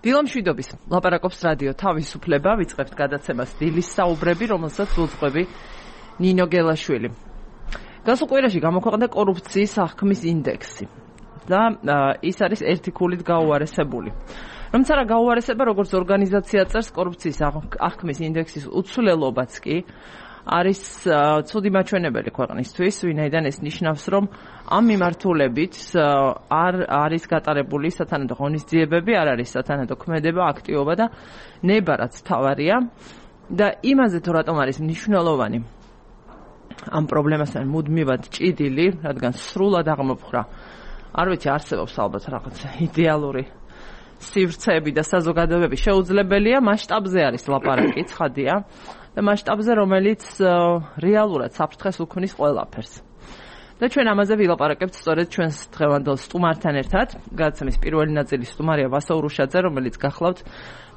დილამშვიდობის ლაპარაკობს რადიო თავისუფლება, ვიწყებთ გადაცემას დილის საუბრები, რომელსაც უძღვები ნინო გელაშვილი. გასულ კვირაში გამოქვეყნდა კორუფციის აღქმის ინდექსი და ის არის ერთი ქულით გაუარესებული. რომც არა გაუარესება, როგორც ორგანიზაცია წერს, კორუფციის აღქმის ინდექსის უცვლელობაც კი არის ცუდი მაჩვენებელი ქვეყნისთვის, ვინაიდან ეს ნიშნავს, რომ ამ მიმართულებით არ არის გატარებული სათანადო ღონისძიებები, არ არის სათანადო ქმედება, აქტივობა და ნება, რაც თავარია და იმაზე თუ რატომ არის მნიშვნელოვანი ამ პრობლემასთან მუდმივად ჭიდილი, რადგან სრულად აღმოფხვრა, არ ვიცი, არსებობს ალბათ რაღაც იდეალური სივრცეები და საზოგადოებები შეუძლებელია, მასშტაბზე არის ლაპარაკი, ცხადია და მასშტაბზე, რომელიც რეალურად საფრთხეს უქმნის ყველაფერს. და ჩვენ ამაზე ვილაპარაკებთ სწორედ ჩვენს დღევანდელ სტუმართან ერთად. გადაცემის პირველი ნაწილის სტუმარია ვასო ურუშაძე, რომელიც გახლავთ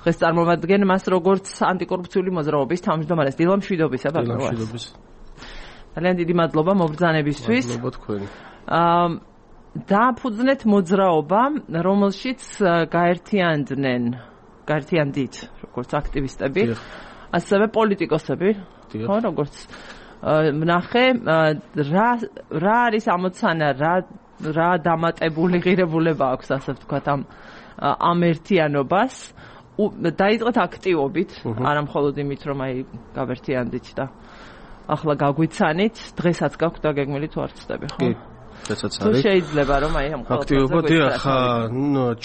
დღეს წარმოვადგენ მას როგორც ანტიკორუფციული მოძრაობის თავმჯდომარეს. დილამშვიდობისა, დილამშვიდობის. ძალიან დიდი მადლობა მობრძანებისთვის. მადლობა თქვენ. დააფუძნეთ მოძრაობა, რომელშიც გაერთიანდით როგორც აქტივისტები, ასევე პოლიტიკოსები, ხო, როგორც ვნახე, რა არის ამოცანა, რა დამატებული ღირებულება აქვს, ასე ვთქვათ, ამ ერთიანობას. დაიწყეთ აქტივობით, არა მხოლოდ იმით, რომ აი გავერთიანდით და ახლა გაგვიცანით, დღესაც გაქვთ დაგეგმილი თუ არ ცდები, ხო? კი. ესეც არის. თუ შეიძლება რომ აი ამ აქტივობა დიახ,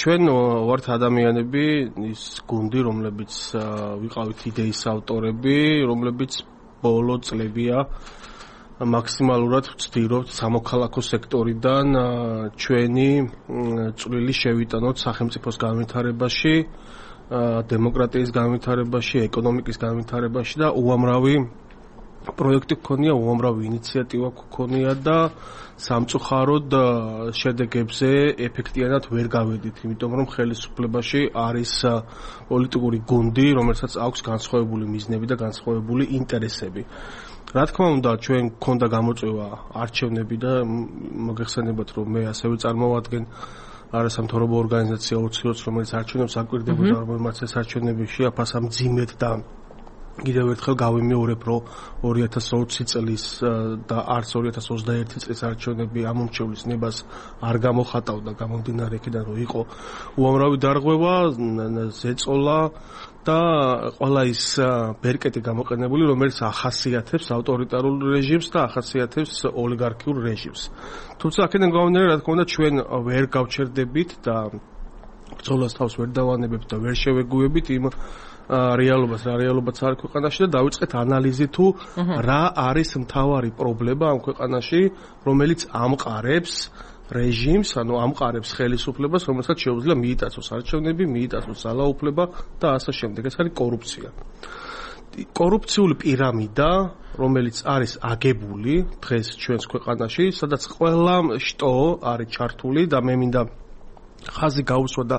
ჩვენ ვართ ადამიანები, ის გუნდი, რომლებიც ვიყავით იდეის ავტორები, რომლებიც ბოლო წლებია მაქსიმალურად ვცდილობთ სამოქალაქო სექტორიდან ჩვენი წვლილი შევიტანოთ სახელმწიფოს განვითარებაში, დემოკრატიის განვითარებაში, ეკონომიკის განვითარებაში და უამრავი პროექტი გქონია, უამრავი ინიციატივა გქონია და სამწუხაროდ შედეგებზე ეფექტიანად ვერ გავედით, იმიტომ რომ ხელისუფლებაში არის პოლიტიკური გუნდი, რომელსაც აქვს განსხვავებული მიზნები და განსხვავებული ინტერესები. რა თქმა უნდა, ჩვენ გქონდა გამოწვევა არჩევნები და მოგეხსენებათ, რომ მე ასევე წარმოვადგენ არასამთავრობო ორგანიზაცია ოცი-ოცი, რომელიც არჩევნებს აკვირდებოდა, რომელმაც ეს არჩევნები შეაფასა მძიმედ და კიდევ ერთხელ გავიმეორებ, რომ 2020 წლის და არც 2021 წლის არჩევნები ამომრჩევლის ნებას არ გამოხატავდა, გამომდინარე იქიდან, რომ იყო უამრავი დარღვევა, ზეწოლა და ყველა ის ბერკეტი გამოყენებული, რომელიც ახასიათებს ავტორიტარულ რეჟიმს და ახასიათებს ოლიგარქიულ რეჟიმს. თუმცა აქედან გამომდინარე, რა თქმა უნდა, ჩვენ ვერ გავჩერდებით და ბრძოლას თავს ვერ დავანებებთ და ვერ შევეგუებით იმ რეალობას არ ქვეყანაში და დავიწყეთ ანალიზი თუ რა არის მთავარი პრობლემა ამ ქვეყანაში, რომელიც ამყარებს რეჟიმს, ანუ ამყარებს ხელისუფლებას, რომელსაც შეუძლია მიიტაცოს არჩევნები, მიიტაცოს ძალაუფლება და ასე შემდეგ. ეს არის კორუფცია. კორუფციული პირამიდა, რომელიც არის აგებული დღეს ჩვენს ქვეყანაში, სადაც ყველა შტო არის ჩართული და მე მინდა ხაზი გაუსვა და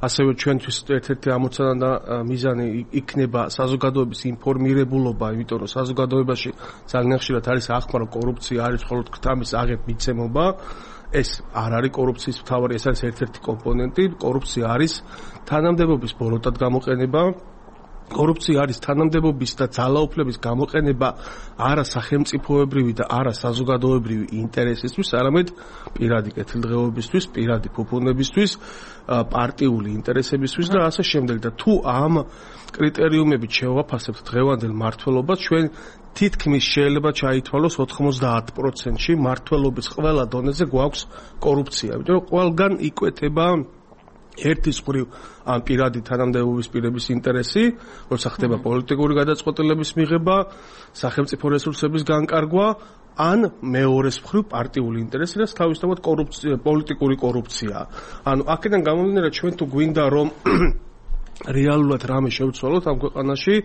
ასევე ჩვენთვის ერთ-ერთი ამოცანა და მიზანი იქნება საზოგადოების ინფორმირებულობა, იმიტომ რომ საზოგადოებაში ძალიან ხშირად არის აღქმა, რომ კორუფცია არის მხოლოდ ქთამის აღებ მიცემობა. ეს არ არის კორუფციის მთავარი, ეს არის ერთ-ერთი კომპონენტი. კორუფცია არის თანამდებობის ბოროტად გამოყენება. კორუფცია არის თანამდებობის და ძალაუფლების გამოყენება არა სახელმწიფოებრივი და არა საზოგადოებრივი ინტერესისთვის, არამედ პირადი კეთილდღეობისთვის, პირადი ფუფუნებისთვის, პარტიული ინტერესებისთვის და ასე შემდეგ. და თუ ამ კრიტერიუმებით შევაფასებთ დღევანდელ მმართველობას, ჩვენ თითქმის შეიძლება ჩაითვალოს 90%-ში მმართველობის ყველა დონეზე გვაქვს კორუფცია, იმიტომ რომ ყველგან იკვეთება ერთის მხრივ ამ პირადი თანამდებობის პირების ინტერესი, როცა ხდება პოლიტიკური გადაწყვეტილების მიღება, სახელმწიფო რესურსების განკარგვა, ან მეორეს მხრივ პარტიული ინტერესი და თავისთავად პოლიტიკური კორუფცია. ანუ აქედან გამომდინარე, ჩვენ თუ გვინდა რომ რეალურად რამე შევცვალოთ ამ ქვეყანაში,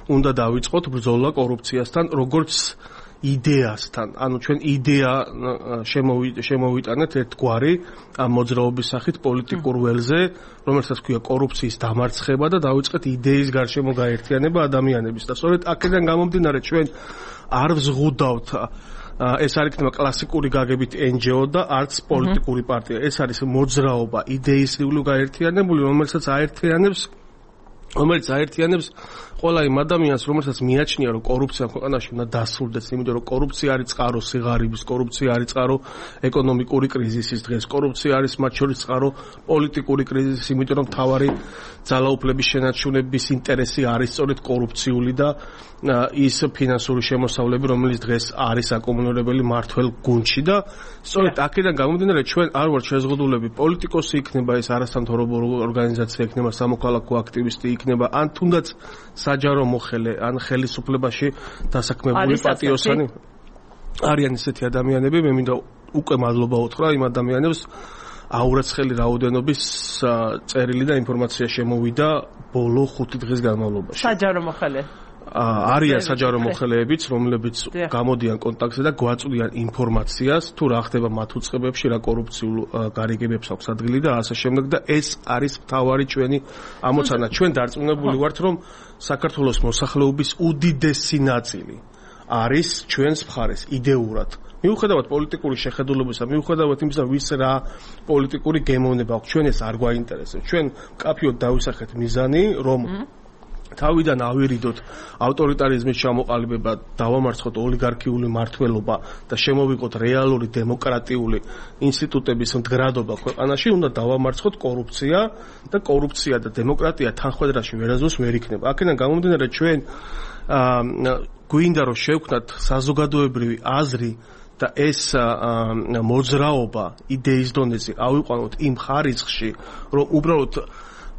უნდა დავიწყოთ ბრძოლა კორუფციასთან, როგორც იდეასთან. ანუ ჩვენ იდეა შემოვიტანეთ ერთგვარი ამ მოძრაობის სახით პოლიტიკურ ველზე, რომელსაც ქვია კორუფციის დამარცხება და დავიწყეთ იდეის გარშემო გაერთიანება ადამიანების. და სწორედ აქედან გამომდინარე ჩვენ არ ვზღუდავთ ეს არ იქნება კლასიკური გაგებით NGO და არც პოლიტიკური პარტია. ეს არის მოძრაობა, იდეისრიული გაერთიანებული, რომელიც აერთიანებს ყველა იმ ადამიანს, რომელსაც მიაჩნია, რომ კორუფცია ქვეყანაში უნდა დასრულდეს, იმიტომ რომ კორუფცია არის წყარო სიღარიბის, კორუფცია არის წყარო ეკონომიკური კრიზისის დღეს, კორუფცია არის მათ შორის წყარო პოლიტიკური კრიზისის, იმიტომ რომ მთავარი ძალაუფლების შენარჩუნების ინტერესი არის სწორედ კორუფციული და ის ფინანსური შემოსავლები, რომელიც დღეს არის აკუმულირებელი მართველ გუნდში და სწორედ აქედან გამომდინარე ჩვენ არ ვართ შეზღუდულები პოლიტიკოსი იქნება, ეს არასამთავრობო ორგანიზაცია იქნება, სამოქალაქო აქტივისტი იქნება, ან თუნდაც საჯარო მოხელე, ან ხელისუფლებაში დასაქმებული პატიოსანი. არიან ისეთი ადამიანები, მე მინდა უკვე მადლობა უთხრა იმ ადამიანებს, აურაცხელი რაოდენობის წერილი და ინფორმაცია შემოვიდა ბოლო 5 დღის განმავლობაში. საჯარო მოხელე. არიან საჯარო მოხელეებიც, რომლებიც გამოდიან კონტაქტზე და გვაწვდიან ინფორმაციას, თუ რა ხდება მათ უწყებებში, რა კორუფციულ გარიგებებს აქვს ადგილი და ასე შემდეგ და ეს არის მთავარი ჩვენი ამოცანა. ჩვენ დარწმუნებული ვართ, რომ საქართველოს მოსახლეობის უდიდესი ნაწილი არის ჩვენს მხარეს იდეურად. მიუხედავად პოლიტიკური შეხედულებისა, მიუხედავად იმისა, ვის რა პოლიტიკური გემოვნება აქვს, ჩვენ ეს არ გვაინტერესებს. ჩვენ მკაფიოდ დავისახეთ მიზანი, რომ თავიდან ავირიდოთ ავტორიტარიზმის ჩამოყალიბება, დავამარცხოთ ოლიგარქიული მართლობა და შემოვიღოთ რეალური დემოკრატიული ინსტიტუტების მდგრადობა ქვეყანაში, უნდა დავამარცხოთ კორუფცია და კორუფცია და დემოკრატია თანხმდრაში ვერასდროს ვერ იქნება. აქედან გამომდინარე ჩვენ გვინდა რომ შევქმნათ საზოგადოებრივი აზრი და ეს მოძრაობა იდეის დონეზე ავიყვანოთ იმ ხარისხში, რომ უბრალოდ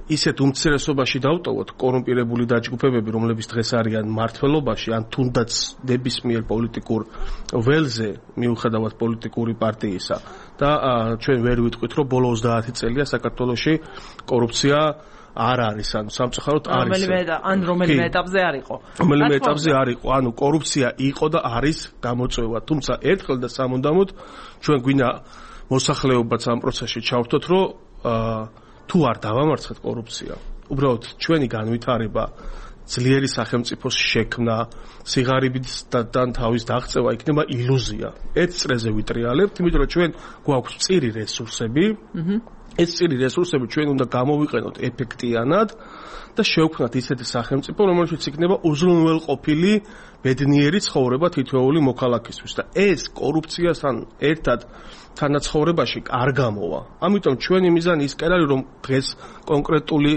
ისეთ უმცირესობაში დავტოვოთ კორუმპირებული დაჯგუფებები, რომლებიც დღეს არიან მმართველობაში, ან თუნდაც ნებისმიერ პოლიტიკურ ველზე, მიუხედავად პოლიტიკური პარტიისა. და ჩვენ ვერ ვიტყვით, რომ ბოლო 30 წელია საქართველოში კორუფცია არ არის, ანუ სამწუხაროდ არის. რომელიმე ეტაპზე არ იყო. რომელიმე ეტაპზე არ იყო, ანუ კორუფცია იყო და არის გამოწვევა, თუმცა ერთხელ და სამუდამოდ ჩვენ გვინდა მოსახლეობაც ამ პროცესში ჩავთოთ, რომ თუ არ დავამარცხეთ კორუფცია, უბრალოდ ჩვენი განვითარება, ძლიერი სახელმწიფოს შექმნა, სიღარიბიდან თავის დაღწევა იქნება ილუზია. ერთ წრეზე ვიტრიალებთ, იმიტომ რომ ჩვენ გვაქვს მწირი რესურსები, ეს მწირი რესურსები ჩვენ უნდა გამოვიყენოთ ეფექტიანად და შევქმნათ ისეთი სახელმწიფო, რომელშიც იქნება უზრუნველყოფილი ბედნიერი ცხოვრება თითოეული მოქალაქისთვის და ეს კორუფციასთან ერთად თანაცხოვრებაში არ გამოვა. ამიტომ ჩვენი მიზანი ის კი არის, რომ დღეს კონკრეტული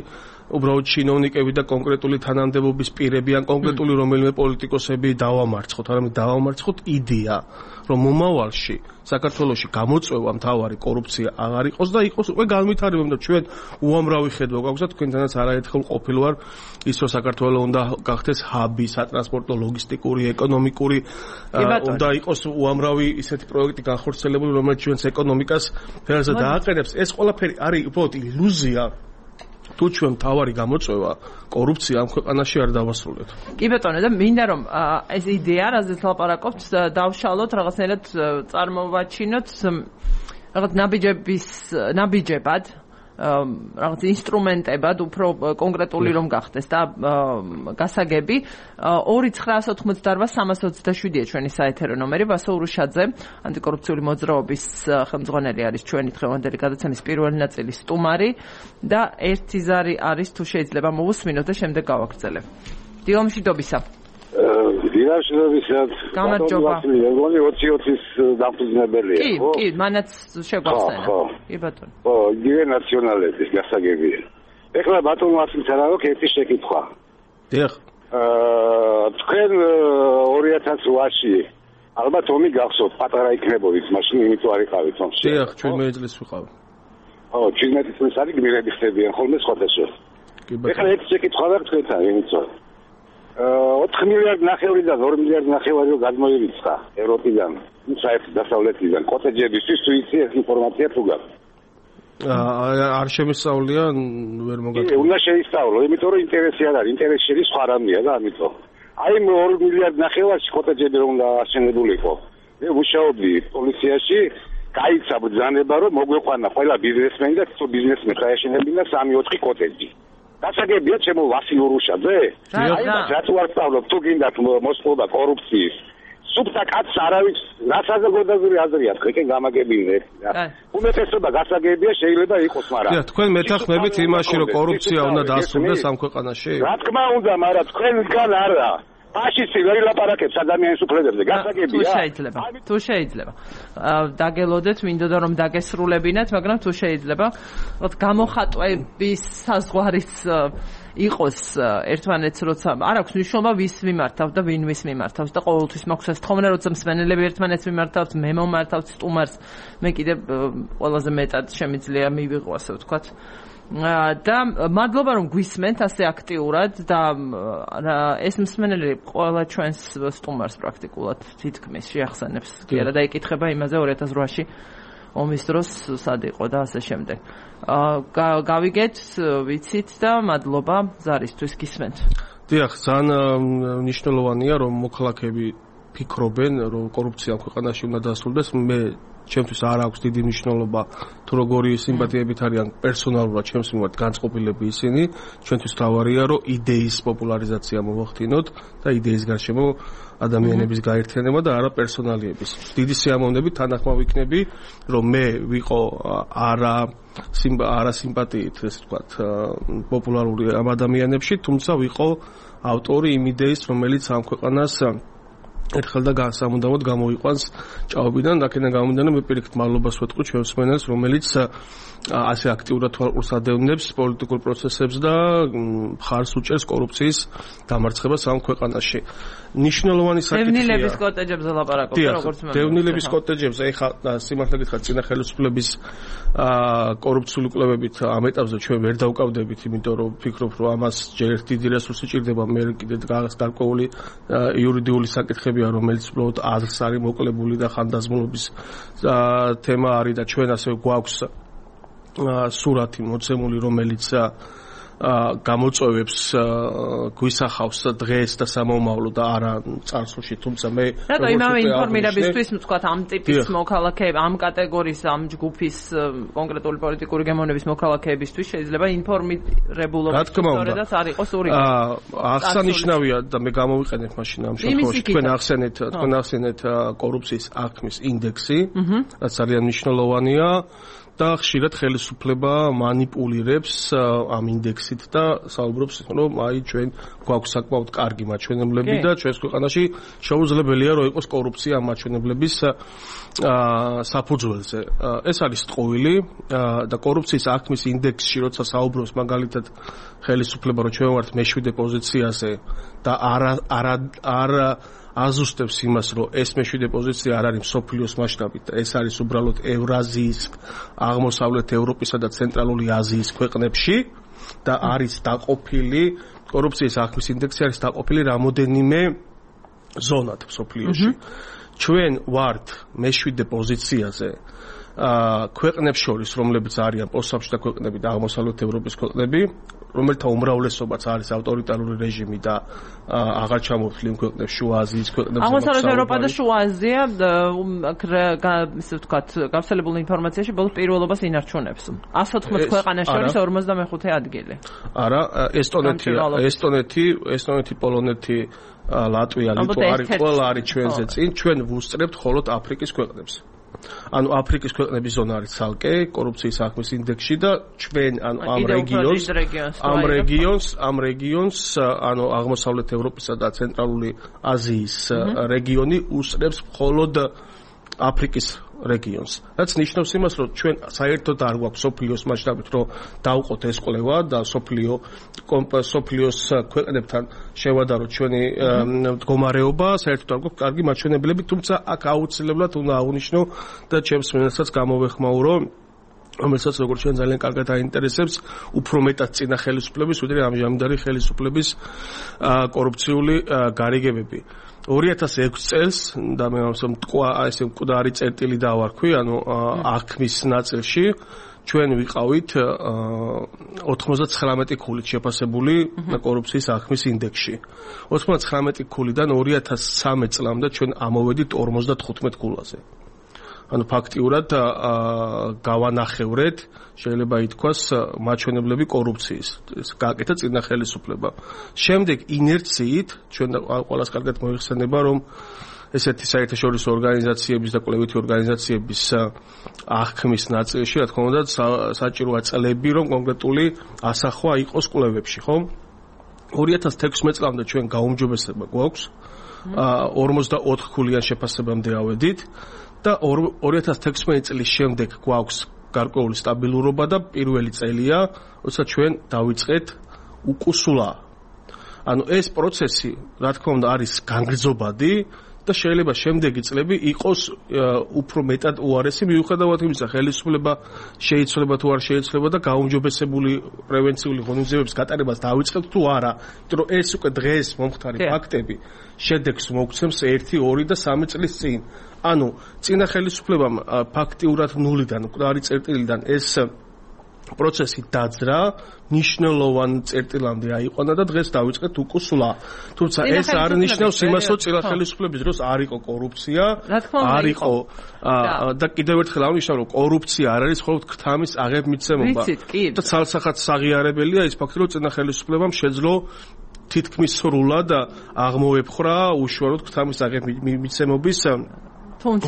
უბრალოდ ჩინოვნიკები და კონკრეტული თანამდებობის პირები ან კონკრეტული რომელიმე პოლიტიკოსები დავამარცხოთ, არამედ დავამარცხოთ იდეა, რომ მომავალში საქართველოში გამოწვევა მთავარი კორუფცია აღარ იყოს და იყოს უკვე განვითარება, და ჩვენ უამრავი ხედვა გვაქვს და თქვენთანაც არაერთხელ ყოფილ ვარ ის, რომ საქართველოს უნდა გახდეს ჰაბი, სატრანსპორტო, ლოგისტიკური, ეკონომიკური, უნდა იყოს უამრავი ისეთი პროექტი განხორციელებული, რომელიც ჩვენს ეკონომიკას ფერზე დააყენებს. ეს ყველაფერი არის უბრალოდ ილუზია. თუ ჩვენ მთავარი გამოწვევა კორუფცია ამ ქვეყანაში არ დავასრულეთ. კი ბატონო, და მინდა რომ ეს იდეა, რაზეც ლაპარაკობთ, დავშალოთ, რაღაცნაირად წარმოვაჩინოთ რაღაც ნაბიჯებად, რაღაც ინსტრუმენტებად, უფრო კონკრეტული რომ გახდეს და გასაგები. 2988327-ია ჩვენი საეთერო ნომერი. ვასო ურუშაძე, ანტიკორუფციული მოძრაობის ხელმძღვანელი არის ჩვენი დღევანდელი გადაცემის პირველი ნაწილის სტუმარი და ერთი ზარი არის, თუ შეიძლება მოვუსმინოთ და შემდეგ გავაგრძელებ. დილომშვიდობისა. დილამშვიდობისად. გამარჯობა. მეგონი 20-20-ის დაფუძნებელია, ხო? კი, მანაც შეგვახსენა. კი ბატონო. ხო, იგივე ნაციონალების გასაგებია. ეხლა ბატონო ასმით არა აქვს ერთი შეკითხვა. დიახ. თქვენ 2008-ში ალბათ ომი გახსოვთ, პატარა იქნებოდით, მაშინ იმით არ იყავით ომში. დიახ, 17 წლის ვიყავი. ხო, 17 წლის არის გმირები ხდებიან ხოლმე სხვადასხვა. კი ბატონო. ეხლა ერთი შეკითხვა აქვს თქვენთან, იმით რომ 4 მილიარდ ნახევრიდან 2 მილიარდ ნახევარი გადმოირიცხა ევროპიდან, საერთოდ დასავლეთიდან კოტეჯებისთვის, თუ იცი ეს ინფორმაცია თუ გაქვს? არ შემისწავლია, ვერ მოგატყუა. უნდა შეისწავლო, იმიტომ რომ ინტერესი არ არის, ინტერესი შედის სხვა რამეა და ამიტომ. აი 2 მილიარდ ნახევარში კოტეჯები რომ უნდა აშენებულიყო. მე ვუშაობდი პოლიციაში, გაიცა ბრძანება რომ მოგვეყვანა ყველა ბიზნესმენი და თუ ბიზნესმენი ხაეშენებინა 3-4 კოტეჯი. გასაგებია ჩემო ვასილ ურუშაძე? აი რატო არ სწავლობ, თუ გინდათ მოსყვა კორუფციის სუბთა კაცს არავის რა საზოგადოებრივი აზრი აქვს ეკენ გამაგებინე. უმეტესობა გასაგებია შეიძლება იყოს, მაგრამ თქვენ მეთანხმებით იმაში, რომ კორუფცია უნდა დასრულდეს ამ ქვეყანაში? რა თქმა უნდა, მაგრამ თქვენგან არა. ფაშისტი ვერ ილაპარაკებს ადამიანის უფლებებზე, გასაგებია? თუ შეიძლება. დაგელოდეთ, მინდოდა რომ დაგესრულებინათ, მაგრამ თუ შეიძლება, გამოხატვების საზღვარიც იყოს ერთმანეთს, როცა არ აქვს მნიშვნელობა ვის მიმართავს და ვინ ვის მიმართავს და ყოველთვის მაქვს ეს თხოვნა, როცა მსმენელები ერთმანეთს მიმართავს, მე მომართავს სტუმარს, მე კიდევ ყველაზე მეტად შემიძლია მივიღო, ასე ვთქვათ. და მადლობა რომ გვისმენთ ასე აქტიურად და ეს მსმენელი ყველა ჩვენს სტუმარს პრაქტიკულად თითქმის შეახსენებს კი არა და ეკითხება იმაზე 2008-ში ომის დროს სად იყო და ასე შემდეგ. გავიგეთ, ვიცით და მადლობა ზარისთვის გისმენთ. დიახ, ძალიან მნიშვნელოვანია რომ მოქალაქეები ფიქრობენ რომ კორუფცია ქვეყანაში უნდა დასრულდეს. მე ჩემთვის არ აქვს დიდი მნიშვნელობა თუ როგორი სიმპათიებით არიან პერსონალურად ჩემს მიმართ განწყობილები ისინი. ჩვენთვის თავარია რომ იდეის პოპულარიზაცია მოვახდინოთ და იდეის გარშემო ადამიანების გაერთიანება და არა პერსონალიების. დიდი სიამოვნებით თანახმავ ვიქნები რომ მე ვიყო არა სიმპათიით ესე ვთქვათ პოპულარული ამ ადამიანებში, თუმცა ვიყო ავტორი იმ იდეის რომელიც ამ ქვეყანას ერთხელ და სამუდამოდ გამოიყვანს ჭაობიდან, აქედან გამომდინარე მე პირიქით მადლობას ვეთქვი ჩვენს მსმენელს, რომელიც ასე აქტიურად თვალყურს ადევნებს პოლიტიკურ პროცესებს და მხარს უჭერს კორუფციის დამარცხებას ამ ქვეყანაში. მნიშვნელოვანი საკითხია. დევნილების კოტეჯებზე ლაპარაკობთ, როგორც მე. დევნილების კოტეჯებზე, ეხლა სიმართლე გითხრათ, წინა ხელისუფლების კორუფციული კვლევებით ამ ეტაპზე ჩვენ ვერ დავკავდებით, იმიტომ რომ ვფიქრობ, რომ ამას ჯერ ერთი დიდი რესურსი ჭირდება, მე კიდე გარკვეული იურიდიული საკითხებია, რომელიც უბრალოდ აზრს არის მოკლებული და ხანდაზმულობის თემა არის და ჩვენ ასე გვაქვს სურათი მოცემული, რომელიც გამოწვევებს გვისახავს დღეს და სამომავლო და არა წარსულში, თუმცა მე რატო იმავე ინფორმირებისთვის ვთქვათ ამ ტიპის მოქალაქეები, ამ კატეგორიის, ამ ჯგუფის კონკრეტული პოლიტიკური გემოვნების მოქალაქეებისთვის შეიძლება ინფორმირებულობის სწორედაც არ იყოს ორი. აღსანიშნავია და მე გამოვიყენებ მაშინ ამ შემთხვევაში თქვენ ახსენეთ კორუფციის აღქმის ინდექსი, რაც ძალიან მნიშვნელოვანია. და ხშირად ხელისუფლება манипулირებს ამ ინდექსით და საუბრობს რომ აი ჩვენ გვაქვს საკმაოდ კარგი მაჩვენებლები და ჩვენს ქვეყანაში შეუძლებელია რომ იყოს კორუფცია ამ მაჩვენებლების საფუძველზე. ეს არის ტყუილი და კორუფციის აღქმის ინდექსში როცა საუბრობს მაგალითად ხელისუფლება რომ ჩვენ ვართ მე-7 პოზიციაზე და არა აზუსტებს იმას, რომ ეს მე-7 პოზიცია არ არის მსოფლიოს მასშტაბით, ეს არის უბრალოდ ევრაზიის, აღმოსავლეთ ევროპისა და ცენტრალური აზიის ქვეყნებში და არის დაყოფილი კორუფციის აღქმის ინდექსი არის დაყოფილი რამოდენიმე ზონად მსოფლიოში. ჩვენ ვართ მე-7 პოზიციაზე ქვეყნებს შორის, რომლებიც არიან პოსტსაბჭოთა ქვეყნები და აღმოსავლეთ ევროპის ქვეყნები, რომელთა უმრავლესობაც არის ავტორიტარული რეჟიმი და აღარ ჩამოთვლილ ქვეყნებს, შუა აზიის ქვეყნებს. აღმოსავლეთ ევროპა და შუა აზია, ისე ვთქვათ, გავრცელებული ინფორმაციაში ბოლოს პირველობას ინარჩუნებს. 114 ქვეყანას შორის 55 ადგილი. არა, ესტონეთი, პოლონეთი, ლატვია, ლიტვა არის ყველა არის ჩვენზე წინ, ჩვენ ვუსწრებთ მხოლოდ აფრიკის ქვეყნებს. ანუ აფრიკის ქვეყნების ზონა არის ცალკე კორუფციის აღქმის ინდექსში და ჩვენ ამ რეგიონს ანუ აღმოსავლეთ ევროპისა და ცენტრალური აზიის რეგიონი უსწრებს მხოლოდ აფრიკის რეგიონს. რაც ნიშნავს იმას, რომ ჩვენ საერთოდ არ გვაქვს სოფლიოს მასშტაბით, რომ დავყოთ ეს კვლევა და სოფლიოს ქვეყნებთან შევადაროთ ჩვენი მდგომარეობა, საერთოდ არ გვაქვს კარგი მაჩვენებლები, თუმცა აქ აუცილებლად უნდა აღვნიშნო და ჩემს მენასაც გამოვეხმაურო, რომელსაც როგორც ჩვენ ძალიან კარგად აინტერესებს, უფრო მეტად წინა ხელისუფლების, ვიდრე ამჟამინდელი ხელისუფლების კორუფციული გარიგებები. 2006 წელს და მე ესე მკვდარი წერტილი დავარქვი, ანუ აღქმის ნაწილში ჩვენ ვიყავით 99 ქულით შეფასებული კორუფციის აღქმის ინდექსში. 99 ქულიდან 2013 წლამდე ჩვენ ამოვედით 55 ქულაზე. ანუ ფაქტიურად გავანახევრეთ, შეიძლება ითქვას, მაჩვენებლები კორუფციის. ეს გააკეთა წინა ხელისუფლება. შემდეგ ინერციით ჩვენ ყველას კარგად მოიხსენება, რომ ესეთი საერთაშორისო ორგანიზაციების და კვლევითი ორგანიზაციების აღქმის ნაწილში, რა თქმა უნდა, საჭიროა წლები, რომ კონკრეტული ასახვა იყოს კვლევებში, ხო? 2016 წლამდე ჩვენ გაუმჯობესება გვაქვს 44 ქულიან შეფასებამდე ავედით და 2016 წლის შემდეგ გვაქვს გარკვეული სტაბილურობა და პირველი წელია, როცა ჩვენ დავიწყეთ უკუსულა. ანუ ეს პროცესი, რა თქმა უნდა, არის განგრძობადი და შეიძლება შემდეგი წლები იყოს უფრო მეტად უარესი, მიუხედავად იმისა, ხელისუფლება შეიცვლება თუ არ შეიცვლება და გაუმჯობესებული პრევენციული ღონისძიებების გატარებას დავიწყებთ თუ არა. იმიტომ რომ ეს უკვე დღეს მომხდარი ფაქტები შედეგს მოგცემს 1, 2 და 3 წლის წინ. ანუ წინა ხელისუფლებამ ფაქტიურად ნულიდან, მკვდარი წერტილიდან ეს პროცესი დაძრა, ნიშნულოვან წერტილამდე აიყვანა და დღეს დავიწყეთ უკუსულა. თუმცა ეს არ ნიშნავს იმას, რომ წინა ხელისუფლების დროს არ იყო კორუფცია, არ იყო და კიდევ ერთხელ აღნიშნავ, რომ კორუფცია არ არის მხოლოდ ქრთამის აღებ-მიცემობა. და ცალსახად საღიარებელია ის ფაქტი, რომ წინა ხელისუფლებამ შეძლო თითქმის სრულად აღმოეფხრა უშუალოდ ქრთამის აღებ-მიცემობის თუმცა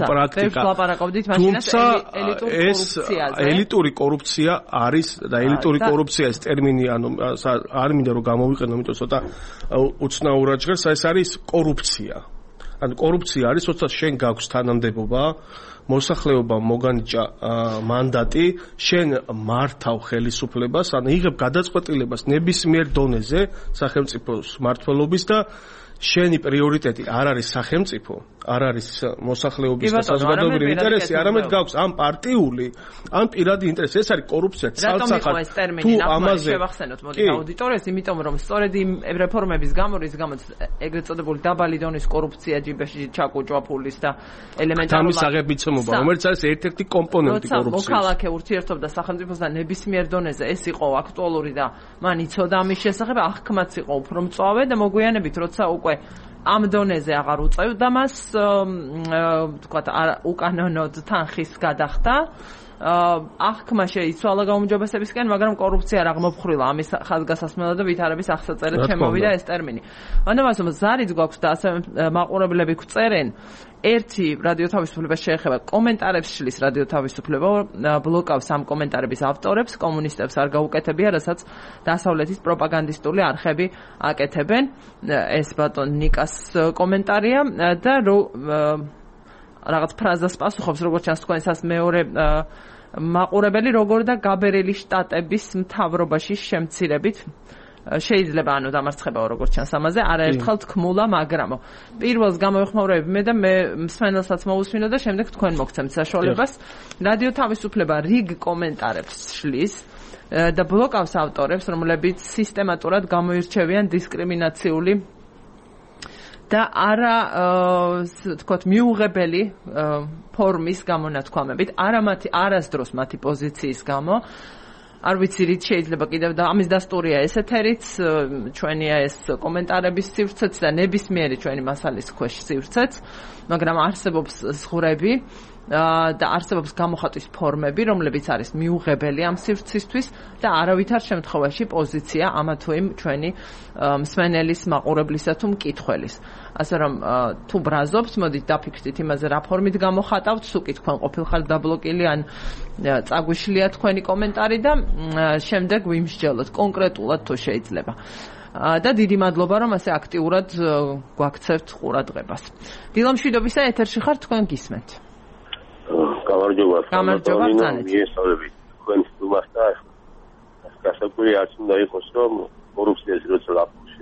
ელიტური კორუფცია არის და ელიტური კორუფცია ეს ტერმინი ანუ არ მინდა რომ გამოვიყენო, იმიტომ ცოტა უცნაურად ჟღერს, ეს არის კორუფცია. ანუ კორუფცია არის, როცა შენ გაქვს თანამდებობა, მოსახლეობა მოგანიჭა მანდატი, შენ მართავ ხელისუფლებას, ანუ იღებ გადაწყვეტილებას ნებისმიერ დონეზე სახელმწიფოს მმართველობის და შენი პრიორიტეტი არ არის სახელმწიფო, არ არის მოსახლეობის და საზოგადოებრივი ინტერესი, არამედ გაქვს ამ პარტიული, ან პირადი ინტერესი. ეს არის კორუფცია ცალსახად. თუ ამაზე შევახსენოთ, მოდი აუდიტორიას, იმიტომ რომ სწორედ იმ რეფორმების გამო, რის გამოც ეგრეთ წოდებული დაბალი დონის კორუფცია ჯიბეში ჩაკუჭვა ფულის და ელემენტარულად თამის აღებიცემობა, რომელიც არის ერთ-ერთი კომპონენტი კორუფციის. მოქალაქე ურთიერთობდა სახელმწიფოსთან ნებისმიერ დონეზე, ეს იყო აქტუალური და მან იცოდა ამის შესახებ, აღქმაც იყო უფრო მწვავე და მოგვიანებით, როცა უკვე ამ დონეზე აღარ უწევდა მას, თქვათ, უკანონოდ თანხის გადახდა. აღქმა შეიცვალა გაუმჯობესებისკენ, მაგრამ კორუფცია არ აღმოფხვრილა ამის ხაზგასასმელად და ვითარების აღსაწერად შემოვიდა ეს ტერმინი. ამიტომ ზარიც გვაქვს და ასევე მაყურებლები გვწერენ. ერთი რადიო თავისუფლებას შეეხება კომენტარებს შლის რადიო თავისუფლება, ბლოკავს ამ კომენტარების ავტორებს, კომუნისტებს არ გაუკეთებია, რასაც დასავლეთის პროპაგანდისტული არხები აკეთებენ. ეს ბატონ ნიკას კომენტარია და რაღაც ფრაზას პასუხობს, როგორც ჩანს თქვენსაც მეორე მაყურებელი, როგორ და გაბერელი შტატების მთავრობაში შემცირებით შეიძლება ანუ დამარცხებაო, როგორც ჩანს ამაზე, არაერთხელ თქმულა, მაგრამო. პირველს გამოვიხმაურებ მე და მე მსმენელსაც მოусმინო და შემდეგ თქვენ მოგცემთ საშუალებას. რადიო თავისუფლება რიგ კომენტარებს შლის და ბლოკავს ავტორებს, რომლებიც სისტემატურად გამოირჩევიან დისკრიმინაციული და არა თქვათ მიუღებელი ფორმის გამონათქვამებით, არასდროს მათი პოზიციის გამო. არ ვიცი რით შეიძლება კიდევ და ამის დასტურია ეს ეთერიც, ჩვენია ეს კომენტარების სივრცეც და ნებისმიერი ჩვენი მასალის ქვეშ სივრცეც, მაგრამ არსებობს ზღვრები და არსებობს გამოხატვის ფორმები, რომლებიც არის მიუღებელი ამ სივრცისთვის და არავითარ შემთხვევაში პოზიცია ამა თუ იმ ჩვენი მსმენელის, მაყურებლისა თუ მკითხველის. ასე რომ თუ ბრაზობს, მოდით დაფიქრდით იმაზე, რა ფორმით გამოხატავთ, სუკი თქვენ ყოფილხარ დაბლოკილი ან წაგვიშლია თქვენი კომენტარი და შემდეგ ვიმსჯელოთ კონკრეტულად თუ შეიძლება. და დიდი მადლობა, რომ ასე აქტიურად გვაქცევთ ყურადღებას. დილამშვიდობისა ეთერში ხარ, თქვენ გისმენთ. გამარჯობა. გამარჯობა, მიესწავლებით თქვენს სტუმარს და გასაკვირი არც უნდა იყოს, რომ კორუფციას როცა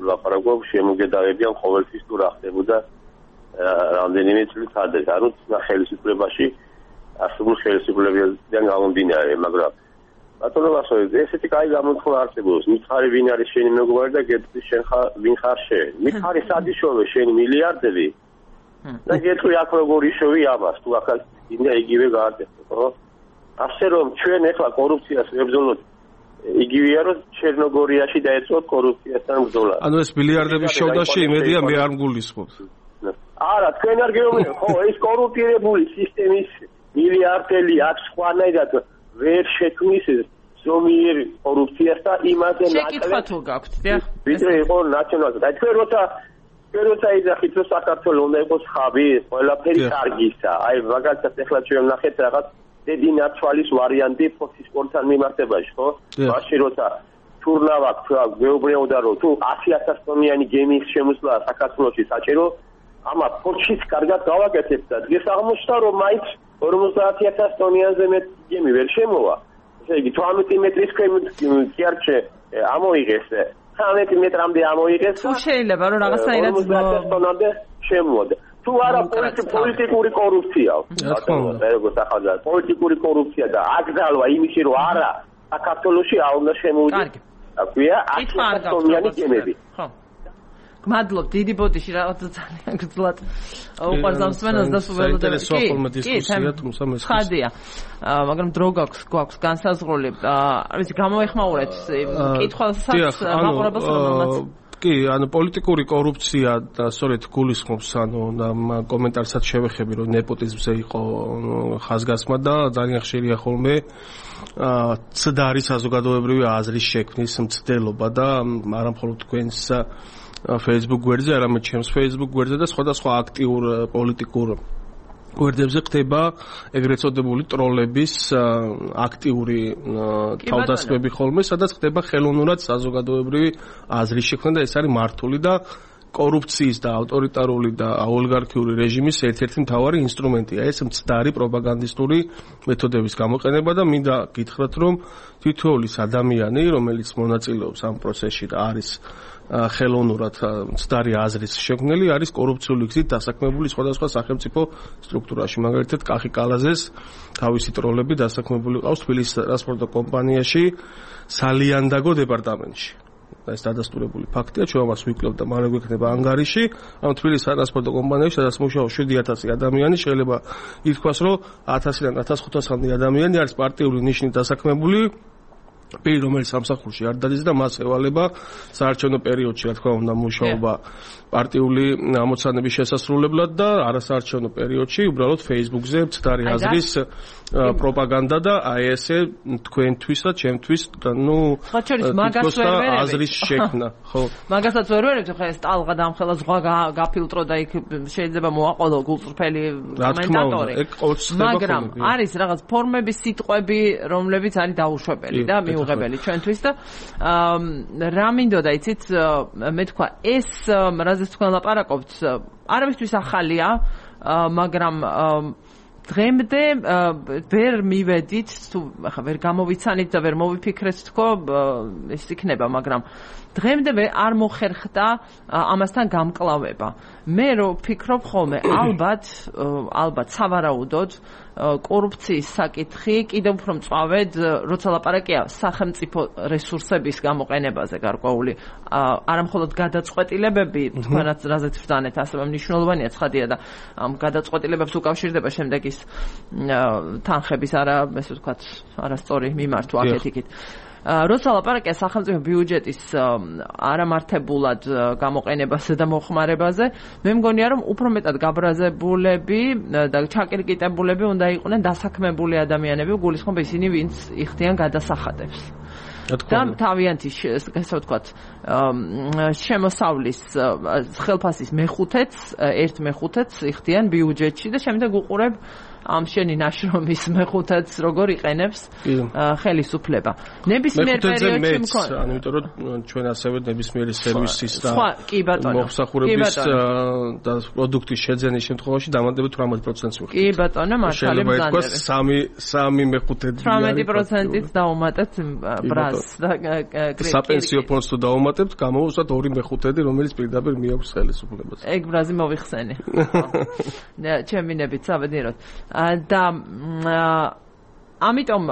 ლაპარაკობ, შემოგედავებიან ყოველთვის თუ რა ხდებოდა რამდენიმე წლის ადრე. ანუ ხელისუფლებაში არსებულ ხელისუფლებებიდან გამომდინარე, მაგრამ ბატონო ვასოი, ესეთი კაი გამოთქვა არსებობს. მითხარი ვინ არის შენი მეგობარი და გეტყვი შენ ვინ ხარ შენ. მითხარი სადიშოვე შენი მილიარდები და გეტყვი აქ როგორ იშოვი ამას, თუ ახალ ინდა იგივე გააკეთე, ხო? ასე რომ ჩვენ ახლა კორუფციას ვებრძოლოთ იგივეა რომ ჩერნოგორიაში დაეწყოთ კორუფციასთან ბრძოლა. ანუ ეს მილიარდების შოვდაში იმედია მე არ მგულისხმობ. არა, თქვენ არ გეუბნებით, ხო, ეს კორუფტირებული სისტემის მილიარდელი აქვს სხვანაირად ვერ შექმნის ზომიერ კორუფციას და იმაზე შეკითხვა თუ გაქვთ, დიახ. ვიდრე იყო ნაციონალიზმი. და თქვენ როცა როცა იძახით რომ საქართველოს უნდა იყოს ხაბი, ყველაფერი კარგისა. აი მაგალითად ეხლა ჩვენ ვნახეთ რაღაც დედინაცვალის ვარიანტი ფოთის სპორტთან მიმართებაში, ხო? მაშინ როცა თურნავ აქვს, გვეუბნებოდა რომ თუ 100,000 ტონიანი გემის შემოსვლა საქართველოში საჭირო, ამა ფოთშიც კარგად გავაკეთებთ და დღეს აღმოჩნდა რომ მაინც 50,000 ტონიანზე მეტი გემი ვერ შემოვა. ესე იგი 18 მეტრის ქვემოთ კი არ ამოიღეს 13 მეტრამდე ამოიღეს. თუ შეიძლება რომ რაღაცაირად 50,000 ტონამდე შემოვიდა. თუ არა პოლიტიკური კორუფციაა. როგორც ახალგაზრდა პოლიტიკური კორუფცია და აკრძალვა იმისი რომ არა საქართველოში არ უნდა შემოვიდეს. აქვეა 100,000 ტონიანი გემები. ხო. გმადლობ დიდი ბოდიში რაღაც ძალიან გძლად უყურს ამ სმენას და სუველოდებს კი ხადია მაგრამ დრო გვაქვს განსაზღვრული არ ვიცი გამოეხმაურეთ კითხვასაც მაყურებელს რომელმაც კი ანუ პოლიტიკური კორუფცია და სწორედ გულისხმობს ანუ კომენტარსაც შევეხები რომ ნეპოტიზმზე იყო ხაზგასმა და ძალიან ხშირია ხოლმე ცდარი საზოგადოებრივი აზრის შექმნის მცდელობა და არა მხოლოდ თქვენს Facebook გვერდზე, არამედ ჩემს Facebook გვერდზე და სხვადასხვა აქტიურ პოლიტიკურ გვერდებზე ხდება ეგრეთ წოდებული ტროლების აქტიური თავდასხმები ხოლმე, სადაც ხდება ხელოვნურად საზოგადოებრივი აზრის შექმნა და ეს არის მართული და კორუფციის და ავტორიტარული და ოლიგარქიული რეჟიმის ერთ-ერთი მთავარი ინსტრუმენტია. ეს მცდარი პროპაგანდისტური მეთოდების გამოყენება და მინდა გითხრათ, რომ თითოეული ადამიანი, რომელიც მონაწილეობს ამ პროცესში და არის ხელოვნურად მცდარი აზრის შექმნელი, არის კორუფციული გზით დასაქმებული სხვადასხვა სახელმწიფო სტრუქტურაში. მაგალითად, კახი კალაზეს თავისი ტროლები დასაქმებული ყავს თბილისის ტრანსპორტო კომპანიაში სალიანდაგო დეპარტამენტში. ეს დადასტურებული ფაქტია, ჩვენ მას ვიკლებთ და მალე გვექნება ანგარიში. ამ თბილისის ტრანსპორტო კომპანიაში, სადაც მუშაობს 7,000 ადამიანი, შეიძლება ითქვას, რომ 1000-დან 1500-მდე ადამიანი არის პარტიული ნიშნით დასაქმებული. პირი რომელიც სამსახურში არ დადის და მას ევალება საარჩევნო პერიოდში რა თქმა უნდა მუშაობა პარტიული ამოცანების შესასრულებლად და არასაარჩევნო პერიოდში უბრალოდ Facebook-ზე მცდარი აზრის პროპაგანდა და აი ესე თქვენთვის და ჩემთვის ნუ მაგას ვერ ვერები აზრის შექმნა ხო მაგასაც ვერ ვერები ხო ეს ტალღა დამხელა ზღვა გაფილტრო და იქ შეიძლება მოაყოლო გულწრფელი კომენტატორი მაგრამ არის რაღაც ფორმების სიტყვები რომლებიც არის დაუშვებელი და მიუღებელი ჩვენთვის და რა მინდოდა იცით მე თქვა ეს რაზეც თქვენ ლაპარაკობთ არავისთვის ახალია მაგრამ დღემდე ვერ მივედით თუ ახლა ვერ გამოვიცანით და ვერ მოვიფიქრეთ თქო ეს იქნება მაგრამ დღემდე არ მოხერხდა ამასთან გამკლავება მე რო ფიქრობ ხოლმე ალბათ სავარაუდოდ კორუფციის საკითხი კიდევ უფრო მწვავედ როცა ლაპარაკია სახელმწიფო რესურსების გამოყენებაზე გარკვეული არამხოლოდ გადაწყვეტილებები თქვენაც რაზეც ვძანეთ ასევე მნიშვნელოვანია ცხადია და ამ გადაწყვეტილებებს უკავშირდება შემდეგ ის თანხების ესე ვთქვათ არასწორი მიმართვა აქეთ-იქით როცა ლაპარაკია სახელმწიფო ბიუჯეტის არამართებულად გამოყენებაზე და მოხმარებაზე მე მგონია რომ უფრო მეტად გაბრაზებულები და ჩაკირკიტებულები უნდა იყვნენ დასაქმებული ადამიანები გულისხმობ ისინი ვინც იხდიან გადასახადებს და თავიანთი ესე ვთქვათ შემოსავლის ხელფასის ერთ მეხუთედს იხდიან ბიუჯეტში და შემდეგ უყურებ ამ შენი ნაშრომის მეხუთედს როგორ იყენებს ხელისუფლება. ნებისმიერ პერიოდში მქონდა. ანუ იმიტომ რომ ჩვენ ასევე ნებისმიერი სერვისის და მომსახურების და პროდუქტის შეძენის შემთხვევაში დამატებით 18%-ს ვიხდით. კი ბატონო, მართალი ბრძანდება. სამი მეხუთედი 18%-ით დაუმატეთ ბრაზს და საპენსიო ფონდს თუ დაუმატებთ, გამოვუსვათ 2/5, რომელიც პირდაპირ მიაქვს ხელისუფლებას. ეგ ბრაზი მოვიხსენე. ჩემი ნებით საბედნიეროდ. და ამიტომ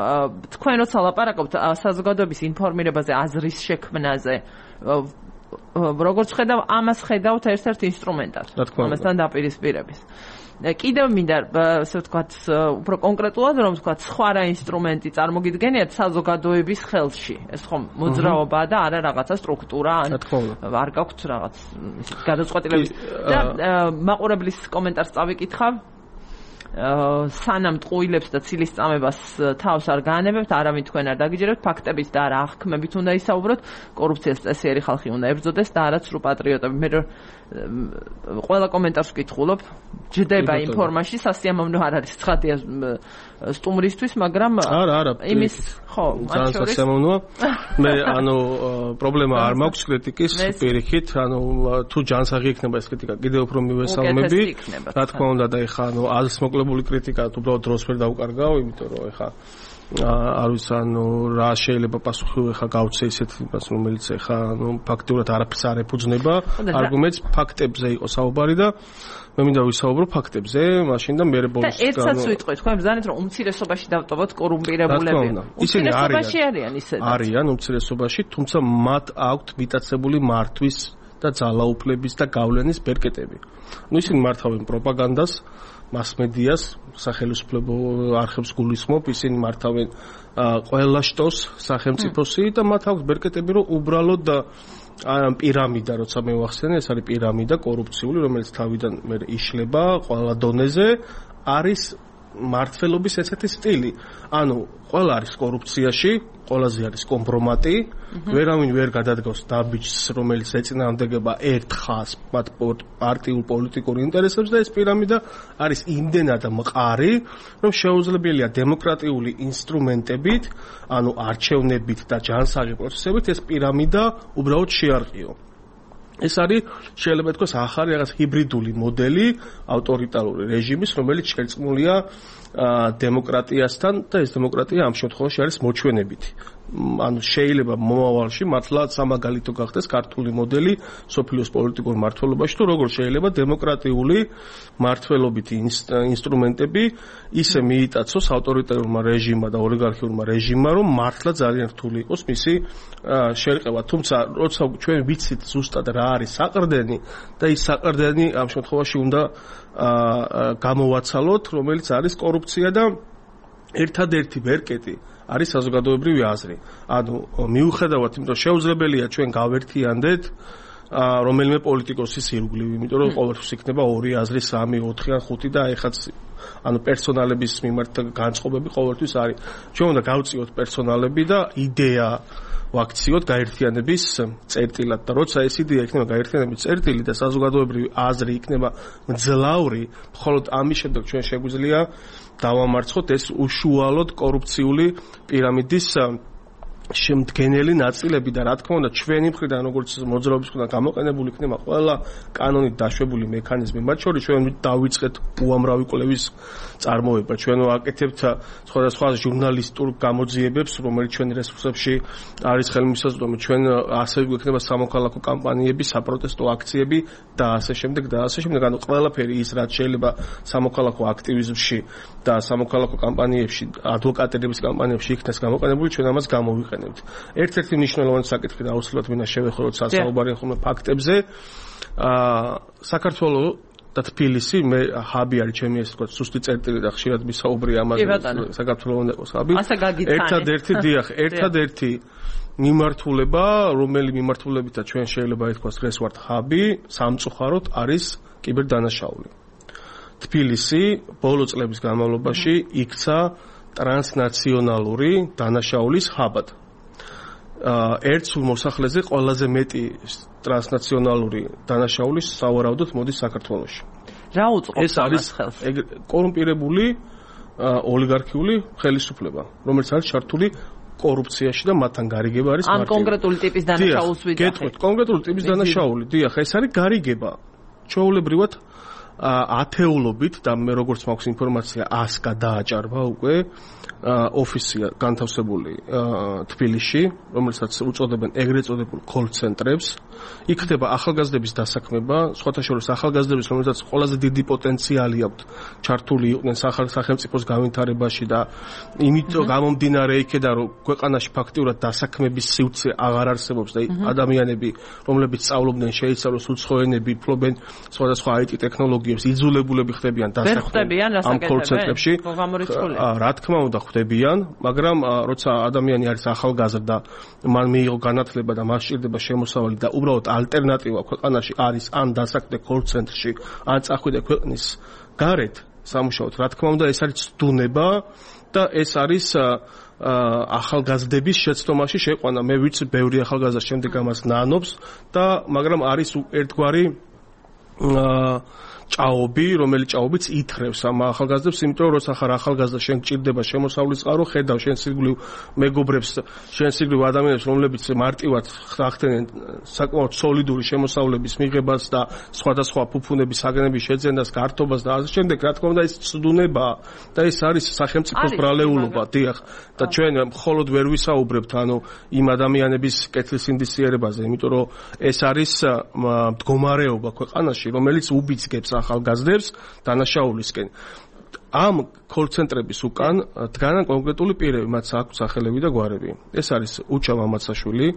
თქვენ როცა ლაპარაკობთ საზოგადოების ინფორმირებაზე, აზრის შექმნაზე, როგორც ხედავ, ამას ხედავთ ერთ-ერთ ინსტრუმენტად, ამასთან დაპირისპირების. კიდევ მინდა ასე ვთქვათ, უფრო კონკრეტულად რომ ვთქვათ, სხვა რა ინსტრუმენტი წარმოგიდგენიათ საზოგადოების ხელში. ეს ხომ მოძრაობაა და არა რაღაცა სტრუქტურა, არ გაქვთ რაღაც გადაწყვეტილების და მაყურებლის კომენტარს წავიკითხავ. სანამ ტყუილებს და ცილის წამებას თავს არ გაანებებთ, არავინ თქვენ არ დაგიჯერებთ, ფაქტებით და არა აღქმებით უნდა ისაუბროთ, კორუფციას წესიერი ხალხი უნდა ებრძოდეს და არა სრულ პატრიოტები. მე ყველა კომენტარს ვკითხულობ, ჯდება იმ ფორმაში, სასიამოვნო არ არის ცხადია სტუმრისთვის, მაგრამ არა, იმის ხო, ძალიან სასიამოვნოა. მე პრობლემა არ მაქვს კრიტიკის პირიქით, თუ ჯანსაღი იქნება ეს კრიტიკა, კიდევ უფრო მივესალმები. რა თქმა უნდა და ეხა აზრს მოკლებული კრიტიკა უბრალოდ დროს ვერ დაუკარგავ, იმიტომ რომ ეხა არ ვიცი რა შეიძლება პასუხი ეხა გავცე ისეთ იმას რომელიც ეხა ფაქტურად არაფერს არ ეფუძნება არგუმენტს ფაქტებზე იყო საუბარი და მე მინდა ვისაუბრო ფაქტებზე მაშინ და მე ბოლოს და ერთსაც ვიტყვით ხო ემზანეთ რომ უმცირესობაში დავტოვოთ კორუმპირებულები ისინი არიან უმცირესობაში თუმცა მათ აქვთ მიტაცებული მართვის და ძალაუფლების და გავლენის ბერკეტები ისინი მართავენ პროპაგანდას მასმედიას სახელმწიფო არხებს გულისხმობ ისინი მართავენ ყველა შტოს სახელმწიფოსი და მათ აქვს ბერკეტები რომ უბრალოდ პირამიდა როცა მე ვახსენე ეს არის პირამიდა კორუფციული რომელიც თავიდან მე იშლება ყველა დონეზე არის მართლობის ესეთი სტილი ანუ ყველა არის კორუფციაში ყველაზე არის კომპრომატი ვერავინ ვერ გადადგავს დაბიჯს რომელიც ეწინააღმდეგება ერთ ხაზს მათ პარტიულ პოლიტიკურ ინტერესებს და ეს პირამიდა არის იმდენად მყარი რომ შეუძლებელია დემოკრატიული ინსტრუმენტებით ანუ არჩევნებით და ჯანსაღი პროცესებით ეს პირამიდა უბრალოდ შეარყიო ეს არის შეიძლება თქვას ახალი რაღაც ჰიბრიდული მოდელი ავტორიტარული რეჟიმის რომელიც შერწყმულია დემოკრატიასთან და ეს დემოკრატია ამ შემთხვევაში არის მოჩვენებითი ანუ შეიძლება მომავალში მართლაც სამაგალითო გახდეს ქართული მოდელი სოფლიოს პოლიტიკურ მართლობაში თუ როგორ შეიძლება დემოკრატიული მართლობითი ინსტრუმენტები ისე მიიტაცოს ავტორიტარულმა რეჟიმმა და ოლიგარქიულმა რეჟიმმა რომ მართლა ძალიან რთული იყოს მისი შერყევა თუმცა როცა ჩვენ ვიცით ზუსტად რა არის საყრდენი და ის საყრდენი ამ შემთხვევაში უნდა გამოვაცალოთ რომელიც არის კორუფცია და ერთადერთი ბერკეტი არის საზოგადოებრივი აზრი. ანუ მიუხედავად იმიტომ რომ შეუძლებელია ჩვენ გავერთიანდეთ რომელიმე პოლიტიკოსის ირგვლივ, იმიტომ რომ ყოველთვის იქნება 2 აზრი, 3, 4 ან 5 და ეხაც ანუ პერსონალების მიმართ განწყობები ყოველთვის არის. ჩვენ უნდა გავწიოთ პერსონალები და იდეა ვაქციოთ გაერთიანების წერტილად და როცა ეს იდეა იქნება გაერთიანების წერტილი და საზოგადოებრივი აზრი იქნება მძლავრი, მხოლოდ ამის შემდეგ ჩვენ შეგვიძლია დავამარცხოთ ეს უშუალოდ კორუფციული პირამიდის შემდგენელი ნაწილები და რა თქმა უნდა ჩვენი მხრიდან როგორც მოძრაობის მხრიდან გამოყენებული იქნება ყველა კანონით დაშვებული მექანიზმი მათ შორის ჩვენ დავიწყეთ უამრავი კვლევის წარმოება ჩვენ ვაკეთებთ სხვადასხვა ჟურნალისტურ გამოძიებებს რომელიც ჩვენი რესურსებში არის ხელმისაწვდომი ჩვენ ასევე გვექნება სამოქალაქო კამპანიები საპროტესტო აქციები და ასე შემდეგ ანუ ყველაფერი ის რაც შეიძლება სამოქალაქო აქტივიზმში და სამოქალაქო კამპანიებში ადვოკატების კამპანიებში იქნას გამოყენებული ჩვენ ამას გამოვიყენებთ ერთ-ერთი მნიშვნელოვანი საკითხი და აუცილებლად მინდა შევეხო როცა საუბარი ხოლმე ფაქტებზე საქართველოს და თბილისი მე ჰაბი არის ჩემი ეს თქვა სუსტი წერტილი და ხშირად მისაუბრია ამაზე საქართველოს უნდა იყოს ჰაბი ერთადერთი მიმართულება რომელი მიმართულებითაც ჩვენ შეიძლება ითქვას ეს ვართ ჰაბი სამწუხაროდ არის კიბერდანაშაული თბილისი ბოლო წლების განმავლობაში იქცა ტრანსნაციონალური დანაშაულის ჰაბად ერთ სულ მოსახლეზე ყველაზე მეტი ტრანსნაციონალური დანაშაული სავარაუდოდ მოდის საქართველოში. რა უწყობს ამას ხელს? ეს კორუმპირებული ოლიგარქიული ხელისუფლება, რომელიც არის ჩართული კორუფციაში და მათთან გარიგება არის მარტივი. ან კონკრეტული ტიპის დანაშაულს ვიძახით. გეტყვით, კონკრეტული ტიპის დანაშაული, დიახ, ეს არის გარიგება. ჩვეულებრივად ათეულობით და მე როგორც მაქვს ინფორმაცია 100 გადააჭარბა უკვე ოფისია განთავსებული თბილისში, რომელსაც უწოდებენ ეგრეთ წოდებულ კოლ-ცენტრებს. იქ ხდება ახალგაზრდების დასაქმება, სხვათა შორის ახალგაზრდების, რომელსაც ყველაზე დიდი პოტენციალი აქვთ ჩართული იყვნენ სახელმწიფოს განვითარებაში და იმიტომ გამომდინარე იქედან რომ ქვეყანაში ფაქტიურად დასაქმების სივრცე აღარ არსებობს და ადამიანები, რომლებიც სწავლობდნენ, შეიცვალოს უცხოენები, ფლობენ სხვადასხვა IT ტექნოლოგიებს, იძულებულები ხდებიან დასაქმებიან ამ კოლ-ცენტრებში. რა თქმა უნდა ხდებიან, მაგრამ როცა ადამიანი არის ახალგაზრდა, მან მიიღო განათლება და მას სჭირდება შემოსავალი და უბრალოდ ალტერნატივა ქვეყანაში არის ან დასაქმდე კოლ-ცენტრში, ან წახვიდე ქვეყნის გარეთ, სამუშაოდ. რა თქმა უნდა, ეს არის ცდუნება და ეს არის ახალგაზრდების შეცდომაში შეყვანა. მე ვიცი, ბევრი ახალგაზრდა შემდეგ ამას ნანობს და მაგრამ არის ერთგვარი ჭაობი, რომელიც ჭაობიც ითხრევს ამ ახალგაზრდებს, იმიტომ რომ როცა ხარ ახალგაზრდა, შენ გჭირდება შემოსავლის წყარო, ხედავ შენ სიკვდილ მეგობრებს, შენ სიკვდილ ადამიანებს, რომლებიც მარტივად ხახტენენ საკმაოდ სოლიდური შემოსავლების მიღებას და სხვადასხვა ფუფუნების აგნების შეძენას, გართობას და ასე შემდეგ, რა თქმა უნდა, ეს ცდუნებაა და ეს არის სახელმწიფოს ბრალეულობა, დიახ. და ჩვენ მხოლოდ ვერ ვისაუბრებთ იმ ადამიანების კეთილ სინდისიერებაზე, იმიტომ რომ ეს არის მდგომარეობა ქვეყანაში, რომელიც უბიძგებს ახალგაზრდებს დანაშაულისკენ. ამ კოლცენტრების უკან დგანან კონკრეტული პირები, მათ აქვთ სახელები და გვარები. ეს არის უჩა მამაცაშვილი,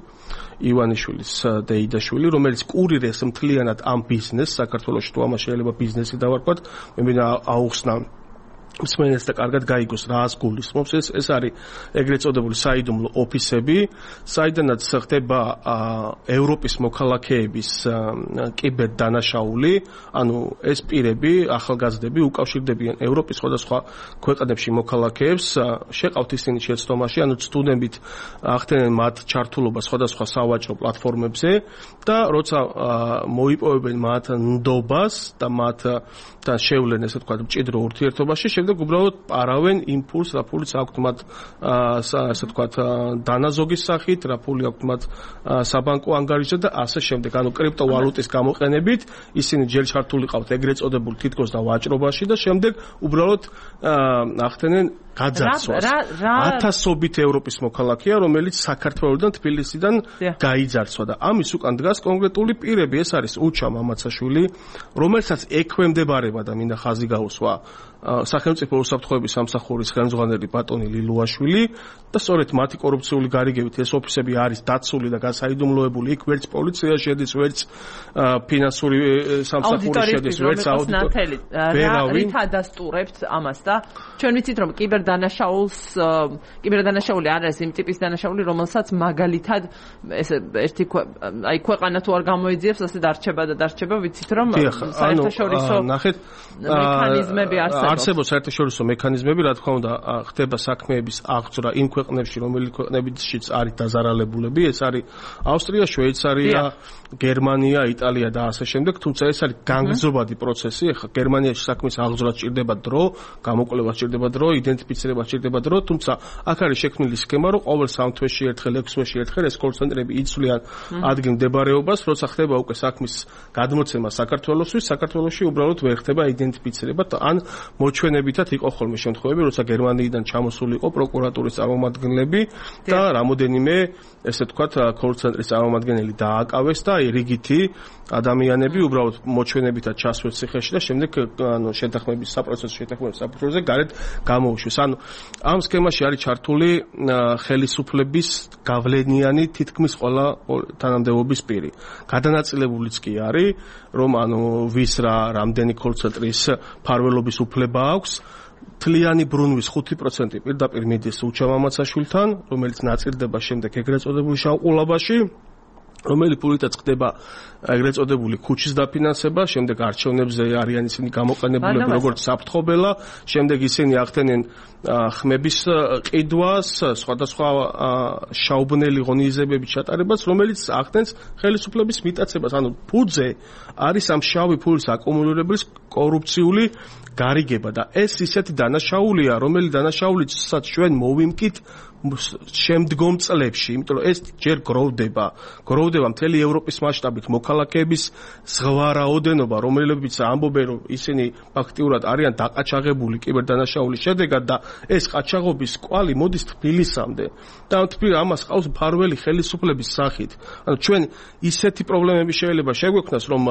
ივანიშვილის დეიდაშვილი, რომელიც კურირებს მთლიანად ამ ბიზნესს საქართველოში, თუ ამას შეიძლება ბიზნესი დავარქვათ, მე მინდა აუხსნა მსმენელს და კარგად გაიგოს რას გულისხმობს ეს არის ეგრეთ წოდებული საიდუმლო ოფისები, საიდანაც ხდება ევროპის მოქალაქეების კიბერდანაშაული, ანუ ეს პირები, ახალგაზრდები უკავშირდებიან ევროპის სხვადასხვა ქვეყნებში მოქალაქეებს, შეყავთ ისინი შეცდომაში, ანუ ცდუნებით ახდენენ მათ ჩართულობა სხვადასხვა სავაჭრო პლატფორმებზე და როცა მოიპოვებენ მათ ნდობას და მათთან შევლენ ესე ვთქვათ მჭიდრო ურთიერთობაში, შემდეგ უბრალოდ პარავენ იმ ფულს, რა ფულიც აქვთ მათ ასე ვთქვათ დანაზოგის სახით, რა ფული აქვთ მათ საბანკო ანგარიშზე და ასე შემდეგ. ანუ კრიპტოვალუტის გამოყენებით ისინი ჯერ ჩართულიყავთ ეგრეთ წოდებულ თითქოს და ვაჭრობაში და შემდეგ უბრალოდ ახდენენ გაძარცვას. ათასობით ევროპის მოქალაქეა, რომელიც საქართველოსდან თბილისიდან გაიძარცვა და ამის უკან დგას კონკრეტული პირები, ეს არის უჩა მამაცაშვილი, რომელსაც ექვემდებარება და მინდა ხაზი გაუსვა სახელმწიფო უსაფრთხოების სამსახურის ხელმძღვანელი ბატონი ლილუაშვილი და სწორედ მათი კორუფციული გარიგებით ეს ოფისები არის დაცული და გასაიდუმლოებული, იქ ვერც პოლიცია შედის, ვერც ფინანსური სამსახური შედის, ვერც აუდიტორი. რით ადასტურებთ ამას და ჩვენ ვიცით რომ კიბერდანაშაული არის იმ ტიპის დანაშაული, რომელსაც მაგალითად ეს ერთი ქვეყანა თუ არ გამოიძიებს, ასე დარჩება და დარჩება, ვიცით რომ საერთაშორისო მექანიზმები არსებობს საერთაშორისო მექანიზმები, რა თქმა უნდა, ხდება საქმეების აღძვრა იმ ქვეყნებში, რომელიც ქვეყნებშიც არის დაზარალებულები, ეს არის ავსტრია, შვეიცარია, გერმანია, იტალია და ასე შემდეგ, თუმცა ეს არის განგრძობადი პროცესი. ეხლა გერმანიაში საქმის აღძვრა სჭირდება დრო, გამოკვლევა სჭირდება დრო, იდენტიფიცირება სჭირდება დრო, თუმცა აქ არის შექმნილი სქემა, რომ ყოველ 3 თვეში ერთხელ, 6 თვეში ერთხელ ეს კოლცენტრები იცვლიან ადგილ მდებარეობას, როცა ხდება უკვე საქმის გადმოცემა საქართველოსთვის, საქართველოში უბრალოდ ვერ ხდება იდენტიფიცირება ან მოჩვენებითად იყო ხოლმე შემთხვევები, როცა გერმანიიდან ჩამოსული იყო პროკურატურის წარმომადგენლები და რამოდენიმე ესე ვთქვათ კოლცენტრის წარმომადგენელი დააკავეს და რიგითი ადამიანები უბრალოდ მოჩვენებითად ჩასვეს ციხეში და შემდეგ შეთანხმების საპროცესო შეთანხმების საფუძველზე გარეთ გამოუშვეს. ანუ ამ სქემაში არის ჩართული ხელისუფლების გავლენიანი თითქმის ყველა თანამდებობის პირი. გადანაწილებულიც კი არის, რომ ვის რამდენი კოლცენტრის ფარველობის უფლება აქვს. თლიანი ბრუნვის 5% პირდაპირ მიდის უჩა მამაცაშვილთან, რომელიც ნაწილდება შემდეგ ეგრეთ წოდებული შავყულაბაში, რომელი ფულითაც ხდება ეგრეთ წოდებული ქუჩის დაფინანსება, შემდეგ არჩევნებზე არიან ისინი გამოყენებულები როგორც საფრთხობელა, შემდეგ ისინი ახდენენ ხმების ყიდვას, სხვადასხვა შაუბნელი ღონისძიებების ჩატარებას, რომელიც ახდენს ხელისუფლების მიტაცებას. ანუ ფუძე არის ამ შავი ფულის აკუმულირების კორუფციული გარიგება და ეს ისეთი დანაშაულია, რომელი დანაშაულიცაც ჩვენ მოვიმკით შემდგომ წლებში, იმიტომ რომ ეს ჯერ გროვდება მთელი ევროპის მასშტაბით მოქალაქეების ზღვა რაოდენობა, რომლებიც ამბობენ, რომ ისინი ფაქტიურად არიან დაყაჩაღებული კიბერდანაშაულის შედეგად და ეს ყაჩაღობის კვალი მოდის თბილისამდე. და ამას ყავს მფარველი ხელისუფლების სახით. ანუ ჩვენ ისეთი პრობლემები შეიძლება შეგვექმნას, რომ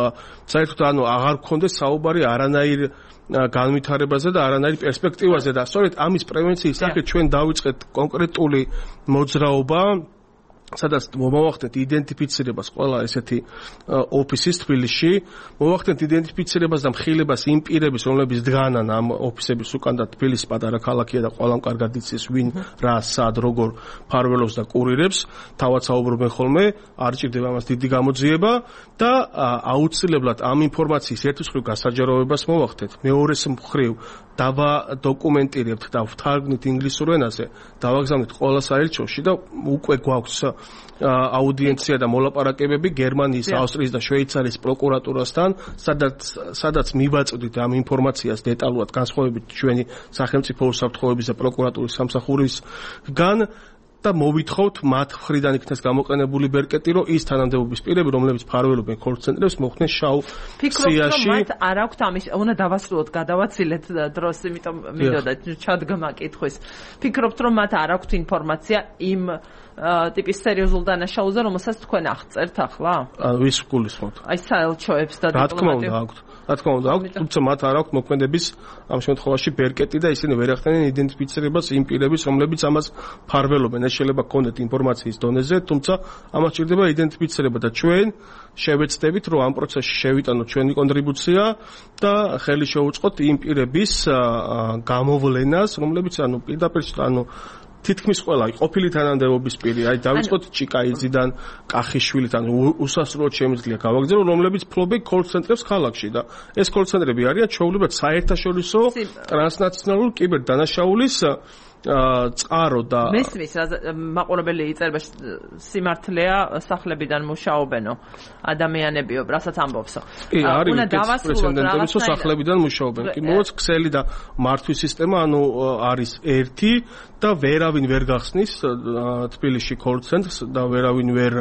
საერთოდ აღარ გქონდეს საუბარი არანაირ განვითარებაზე და არანაირ პერსპექტივაზე და სწორედ ამის პრევენციის სახით ჩვენ დავიწყეთ კონკრეტული მოძრაობა სადაც მოვახდეთ იდენტიფიცირებას ყველა ესეთი ოფისის თბილისში, მოვახდეთ იდენტიფიცირებას და მხილებას იმ პირების, რომლებიც დგანან ამ ოფისების უკან და თბილისი პატარა ქალაქია და ყველამ კარგად იცის ვინ რა სად როგორ ფარველობს და კურირებს, თავად საუბრობენ ხოლმე, არ ჭირდება ამას დიდი გამოძიება და აუცილებლად ამ ინფორმაციის ერთის მხრივ გასაჯაროვებას მოვახდეთ, მეორეს მხრივ დავადოკუმენტირებთ და ვთარგმნით ინგლისურ ენაზე, დავაგზავნით ყველა საელჩოში და უკვე გვაქვს აუდიენცია და მოლაპარაკებები გერმანიის, ავსტრიის და შვეიცარიის პროკურატურასთან, სადაც მივაწვდით ამ ინფორმაციას დეტალურად განსხვავებით ჩვენი სახელმწიფო უსაფრთხოების და პროკურატურის სამსახურისგან და მოვითხოვთ მათ მხრიდან იქნეს გამოყენებული ბერკეტი, რომ ის თანამდებობის პირები, რომლებიც ფარველობენ კოლ-ცენტრებს, მოხვდნენ შავ სიაში. ფიქრობთ, რომ მათ არ აქვთ ამის, უნდა დავასრულოთ, გადავაცილეთ დროს, იმიტომ მინდოდა ჩადგმა კითხვის. ფიქრობთ, რომ მათ არ აქვთ ინფორმაცია იმ ტიპის სერიოზულ დანაშაულზე, რომელსაც თქვენ აღწერთ ახლა? ვის გულისხმობთ? აი საელჩოებს და დიპლომატიებს. რა თქმა უნდა, აქვთ, თუმცა მათ არ აქვთ მოქმედების ამ შემთხვევაში ბერკეტი და ისინი ვერ ახდენენ იდენტიფიცირებას იმ პირების, რომლებიც ამას ფარველობენ. ეს შეიძლება გქონდეთ ინფორმაციის დონეზე, თუმცა ამას ჭირდება იდენტიფიცირება და ჩვენ შევეცდებით, რომ ამ პროცესში შევიტანოთ ჩვენი კონტრიბუცია და ხელი შევუწყოთ იმ პირების გამოვლენას, რომლებიც პირდაპირ თითქმის ყველა ყოფილი თანამდებობის პირი, დავიწყოთ ჭიკაიძიდან, კახიშვილიდან, უსასრულოდ შემიძლია გავაგზავნო, რომლებიც ფლობენ კოლ-ცენტრებს ქალაქში და ეს კოლ-ცენტრები არიან ჩვეულებრივ საერთაშორისო ტრანსნაციონალურ კიბერდანაშაულის წყარო და მესმის მაყურებელი იწერება სიმართლეა სახლებიდან მუშაობენო ადამიანებიო, რასაც ამბობსო. კი, არის პრეცედენტებიც, რომ სახლებიდან მუშაობენ. კი, მოაც ქსელი და მართვის სისტემა, არის ერთი და ვერავინ ვერ გახსნის თბილისში კოლ-ცენტრს და ვერავინ ვერ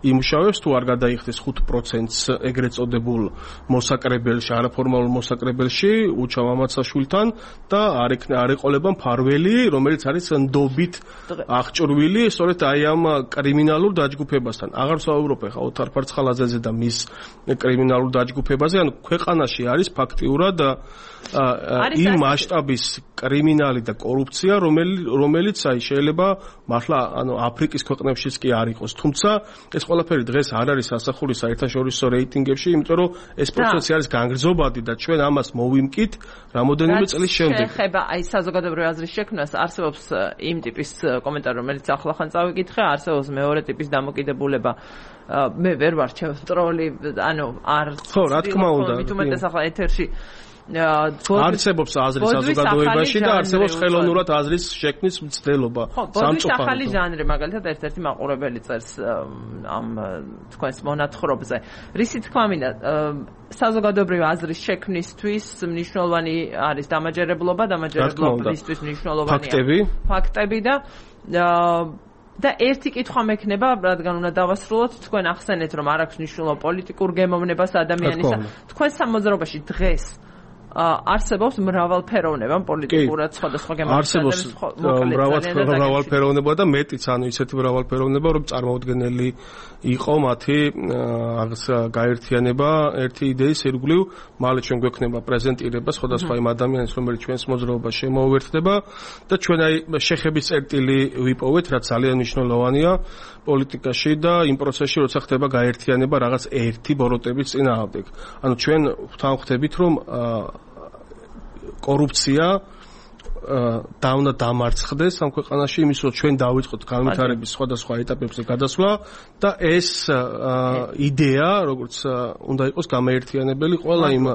იმუშავებს თუ არ გადაიხდეს 5%-ს ეგრეთ წოდებულ მოსაკრებელში, არაფორმალურ მოსაკრებელში უჩა მამაცაშვილთან და არ ეყოლება მფარველი, რომელიც არის ნდობით აღჭურვილი სწორედ აი ამ კრიმინალურ დაჯგუფებასთან. აღარ ვსაუბრობ ახლა ოთარ ფარცხალაძეზე და მის კრიმინალურ დაჯგუფებაზე, ქვეყანაში არის ფაქტიურად იმ მასშტაბის კრიმინალი და კორუფცია, რომელიც შეიძლება მართლა აფრიკის ქვეყნებშიც კი არ იყოს. თუმცა ეს ყველაფერი დღეს არ არის ასახული საერთაშორისო რეიტინგებში, იმიტომ რომ ეს პროცესი არის განგრძობადი და ჩვენ ამას მოვიმკით რამოდენიმე წლის შემდეგ. ეხება აი საზოგადოებრივი აზრის შექმნას, არსებობს იმ ტიპის კომენტარი, რომელიც ახლახან წავიკითხე, არსებობს მეორე ტიპის დამოკიდებულება. მე ვერ ვარ ტროლი, არ ხო, რა თქმა უნდა. მით უმეტეს ახლა ეთერში არსებობს აზრის საზოგადოებაში და არსებობს ხელოვნურად აზრის შექმნის მცდელობა. ბოდვის ახალი ჟანრი, მაგალითად ერთ-ერთი მაყურებელი წერს ამ თქვენს მონათხრობზე. რისი თქმა მინდა, საზოგადოებრივი აზრის შექმნისთვის მნიშვნელოვანი არის დამაჯერებლობისთვის მნიშვნელოვანია ფაქტები და ერთი კითხვა მექნება, რადგან უნდა დავასრულოთ, თქვენ ახსენეთ, რომ არ აქვს მნიშვნელობა პოლიტიკურ გემოვნებას ადამიანისა. თქვენ სამოძრაობაში დღეს არსებობს მრავალფეროვნება პოლიტიკურად სხვადასხვა არსებობს მრავალფეროვნება და მეტიც, ისეთი მრავალფეროვნება, რომ წარმოუდგენელი იყო მათი გაერთიანება ერთი იდეის ირგვლივ. მალე ჩვენ გვექნება პრეზენტირება სხვადასხვა იმ ადამიანის, რომელიც ჩვენს მოძრაობაში შემოუერთდება და ჩვენ აი შეხების წერტილი ვიპოვეთ, რაც ძალიან მნიშვნელოვანია პოლიტიკაში და იმ პროცესში, როცა ხდება გაერთიანება რაღაც ერთი ბოროტების წინააღმდეგ. ჩვენ ვთანხმდებით, რომ კორუფცია უნდა დამარცხდეს ამ ქვეყანაში, იმის რომ ჩვენ დავიწყოთ განვითარების სხვადასხვა ეტაპებზე გადასვლა და ეს იდეა, როგორც უნდა იყოს გამაერთიანებელი ყველა იმ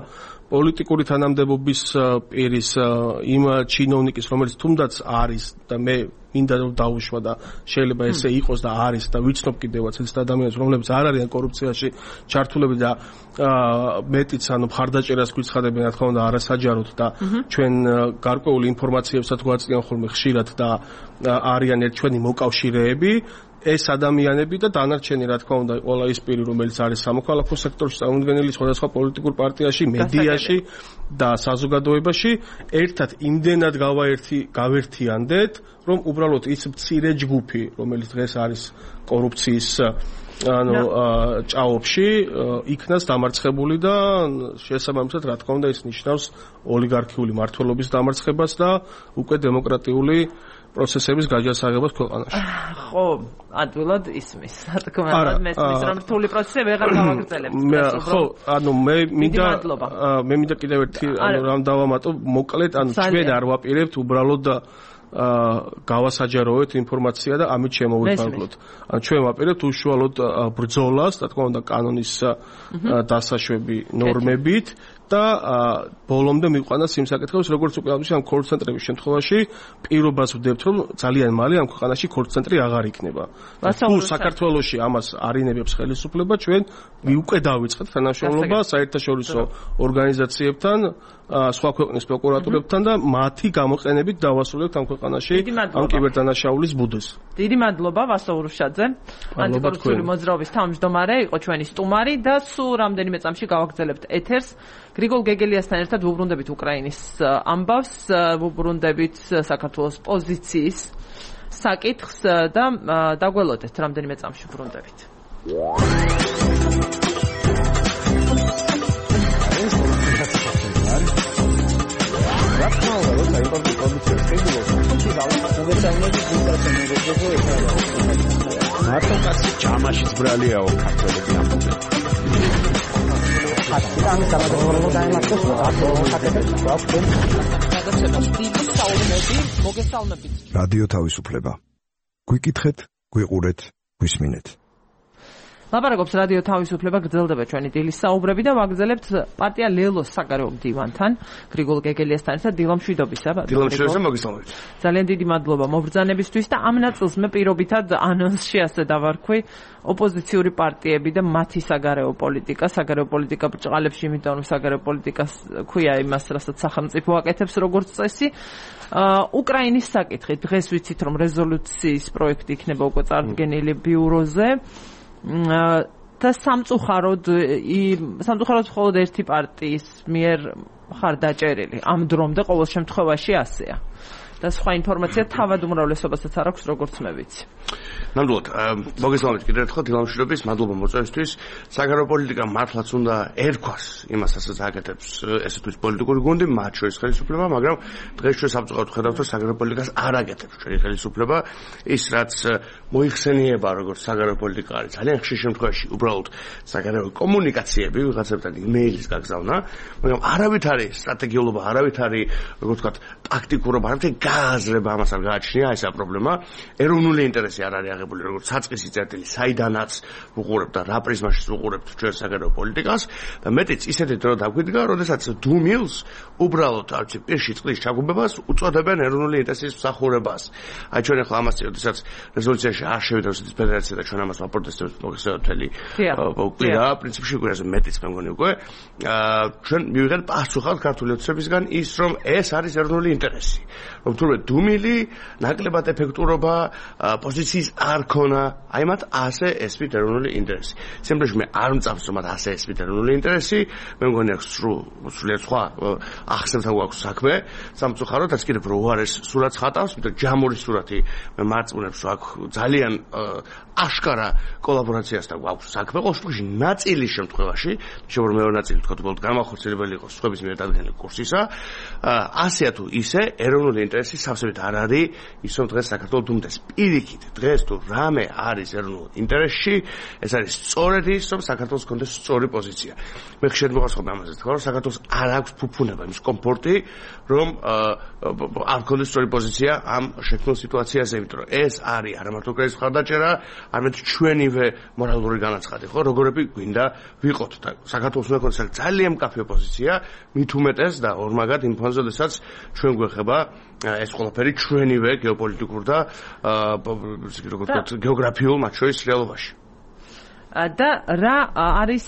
პოლიტიკური თანამდებობის პირის, იმ ჩინოვნიკის, რომელიც თუნდაც არის და მე მინდა რომ დაუშვა და შეიძლება ესე იყოს და არის და ვიცნობ კიდევაც ეს ადამიანებს, რომლებიც არ არიან კორუფციაში ჩართულები და მეტიც მხარდაჭერას გვიცხადებენ, რა თქმა უნდა, არასაჯაროდ და ჩვენ გარკვეული ინფორმაციებსაც გვაწვდიან ხოლმე ხშირად და არიან ჩვენი მოკავშირეები. ეს ადამიანები და დანარჩენი, რა თქმა უნდა, ყველა ის პირი, რომელიც არის სამოქალაქო სექტორში, წარმოუდგენელი სხვადასხვა პოლიტიკურ პარტიაში, მედიაში და საზოგადოებაში, ერთად იმდენად გავერთიანდეთ, რომ უბრალოდ ის მცირე ჯგუფი, რომელიც დღეს არის კორუფციის ჭაობში, იქნას დამარცხებული და შესაბამისად, რა თქმა უნდა, ის ნიშნავს ოლიგარქიული მმართველობის დამარცხებას და უკვე დემოკრატიული პროცესების გაჯასაღებას ქვეყანაში. ხო, ადვილად ისმის. რა თქმა უნდა, მესმის რომ რთული პროცესები ვეღარ გავაგრძელებთ. ხო, ანუ მე მინდა კიდევ ერთი რამ დავამატო, მოკლედ, ანუ ჩვენ არ ვაპირებთ უბრალოდ გავასაჯაროეთ ინფორმაცია და ამით შემოვიფარგლოთ. ანუ ჩვენ ვაპირებთ უშუალოდ ბრძოლას, რა თქმა უნდა, კანონის დასაშვები ნორმებით და ბოლომდე მიყვანას იმ საკითხებს, როგორც უკვე ამ კოლ ცენტრების შემთხვევაში პირობას ვდებთ, რომ ძალიან მალე ამ ქვეყანაში კოლ ცენტრი აღარ იქნება. თუ საქართველოში ამას არინებებს ხელისუფლება, ჩვენ უკვე დავიწყეთ თანამშრომლობა საერთაშორისო ორგანიზაციებთან, სხვა ქვეყნის პროკურატურებთან და მათი გამოყენებით დავასრულებთ ამ ქვეყანაში ამ კიბერდანაშაულის ბუდეს. დიდი მადლობა ვასო ურუშაძე. ანტიკორუფციული მოძრაობის თავმჯდომარე იყო ჩვენი სტუმარი და სულ რამდენიმე წამში გავაგრძელებთ ეთერს. გრიგოლ გეგელიასთან ერთად ვუბრუნდებით უკრაინის ამბავს, ვუბრუნდებით საქართველოს პოზიციის საკითხს და დაგველოდეთ რამდენიმე წამში ვუბრუნდებით. მარტო კაცი ჯამაშიც ბრალიაო ქართველები ამბობენ. რადიო თავისუფლება. გვიკითხეთ, გვიყურეთ, გვისმინეთ. ლაპარაკობს რადიო თავისუფლება, გრძელდება ჩვენი დილის საუბრები და ვაგრძელებთ პარტია ლელოს საგარეო მდივანთან, გრიგოლ გეგელიასთან ერთად დილამშვიდობისა. დილამშვიდობისა, მოგესალმებით. ძალიან დიდი მადლობა მობრძანებისთვის და ამ ნაწილს მე პირობითად ანონსში ასე დავარქვი, ოპოზიციური პარტიები და მათი საგარეო პოლიტიკა ბრჭყალებში, იმიტომ რომ საგარეო პოლიტიკას ქვია იმას, რასაც სახელმწიფო აკეთებს როგორც წესი. უკრაინის საკითხი, დღეს ვიცით რომ რეზოლუციის პროექტი იქნება უკვე წარდგენილი ბიუროზე. და სამწუხაროდ მხოლოდ ერთი პარტიის მიერ ხარ დაჭერილი. ამ დრომდე ყოველ შემთხვევაში ასეა. და სხვა ინფორმაცია თავად უმრავლესობასაც არ აქვს, როგორც მე ვიცი. ნამდვილად, მოგესალმებით კიდევ ერთხელ დილამშვიდობის, მადლობა მოწვევისთვის. საგარეო პოლიტიკა მართლაც უნდა ერქვას იმას, რასაც აკეთებს ესეთი პოლიტიკური გუნდი, მათ შორის ხელისუფლება, მაგრამ დღეს ჩვენ სამწუხაროდ ხედავთ, რომ საგარეო პოლიტიკას არ აკეთებს ჩვენი ხელისუფლება. ის რაც მოიხსენიება როგორც საგარეო პოლიტიკა არის, ძალიან ხშირ შემთხვევაში უბრალოდ საგარეო კომუნიკაციები, ვიღაცებთან იმეილის გაგზავნა, მაგრამ არავით არის სტრატეგიულობა, არავით არის, როგორც ვთქვათ, ტაქტიკურობა, არავით გააზრება ამას არ გააჩნია, ესაა პრობლემა. ეროვნული ინტერესი არ არის აღებული როგორც საწყისი წერტილი, საიდანაც ვუყურებთ და რა პრიზმაშიც ვუყურებთ ჩვენ საგარეო პოლიტიკას და მეტიც ისეთი დრო დაგვიდგა, როდესაც დუმილს უბრალოდ არც პირში წყლის ჩაგუბებას უწოდებენ ეროვნული ინტერესის მსახურებას. აი ჩვენ ახლა ამას როდესაც რეზოლუციაში არ შევიდა რუსეთის ფედერაცია და ჩვენ ამას ვაპროტესტებთ მოგესალმებით. კვირა, პრინციპში კვირაზე მეტიც მე მგონი უკვე. ჩვენ მივიღეთ პასუხად ქართული ოცნებისგან ის რომ ეს არის ეროვნული ინტერესი. რომ თურმე დუმილი, ნაკლებად ეფექტურობა, პოზიციის არ ქონა, აი მათ ასე ესმით ეროვნული ინტერესი. სიმართლეში მე არ მწამს რომ მათ ასე ესმით ეროვნული ინტერესი, მე მგონი აქვს სრულიად სხვა ახსნებთან გვაქვს საქმე, სამწუხაროდ რაც კიდევ რო არ ეს სურათს ხატავს, იმიტომ ჯამური სურათი მე მარწმუნებს რომ აქ ძალიან აშკარა კოლაბორაციასთან გვაქვს საქმე, ყოველ შემთხვევაში ნაწილის შემთხვევაში, შეიძლება მეორე ნაწილი თქვა უბრალოდ გამახორციელებელი იყოს სხვების მიერ დადგენილი კურსისა, ასეა თუ ისე ეროვნული ინტერესი სავსებით არ არის ის რომ დღეს საქართველოს დუმდეს. პირიქით, დღეს თუ რამე არის ეროვნულ ინტერესში, ეს არის სწორედ ის, რომ საქართველოს კონდეს სწორი პოზიცია. მე ხშირად მოვასწრებ ამაზე თქვა, რომ საქართველოს არ აქვს ფუფუნება, იმის კომფორტი, რომ არ კონდეს სწორი პოზიცია ამ შექმნილ სიტუაციაზე, იმიტომ რომ ეს არის არა მარტო უკრაინის მხარდაჭერა, არამედ ჩვენივე მორალური განაცხადი, ხო, როგორები გვინდა ვიყოთ და საქართველოს უნდა კონდეს ძალიან მკაფიო პოზიცია, მით უმეტეს და ორმაგად იმ ფონზე, როდესაც ჩვენ გვეხება ეს ყველაფერი ჩვენივე გეოპოლიტიკურ და როგორც ვთქვათ გეოგრაფიულ მათ შორის რეალობაში. და რა არის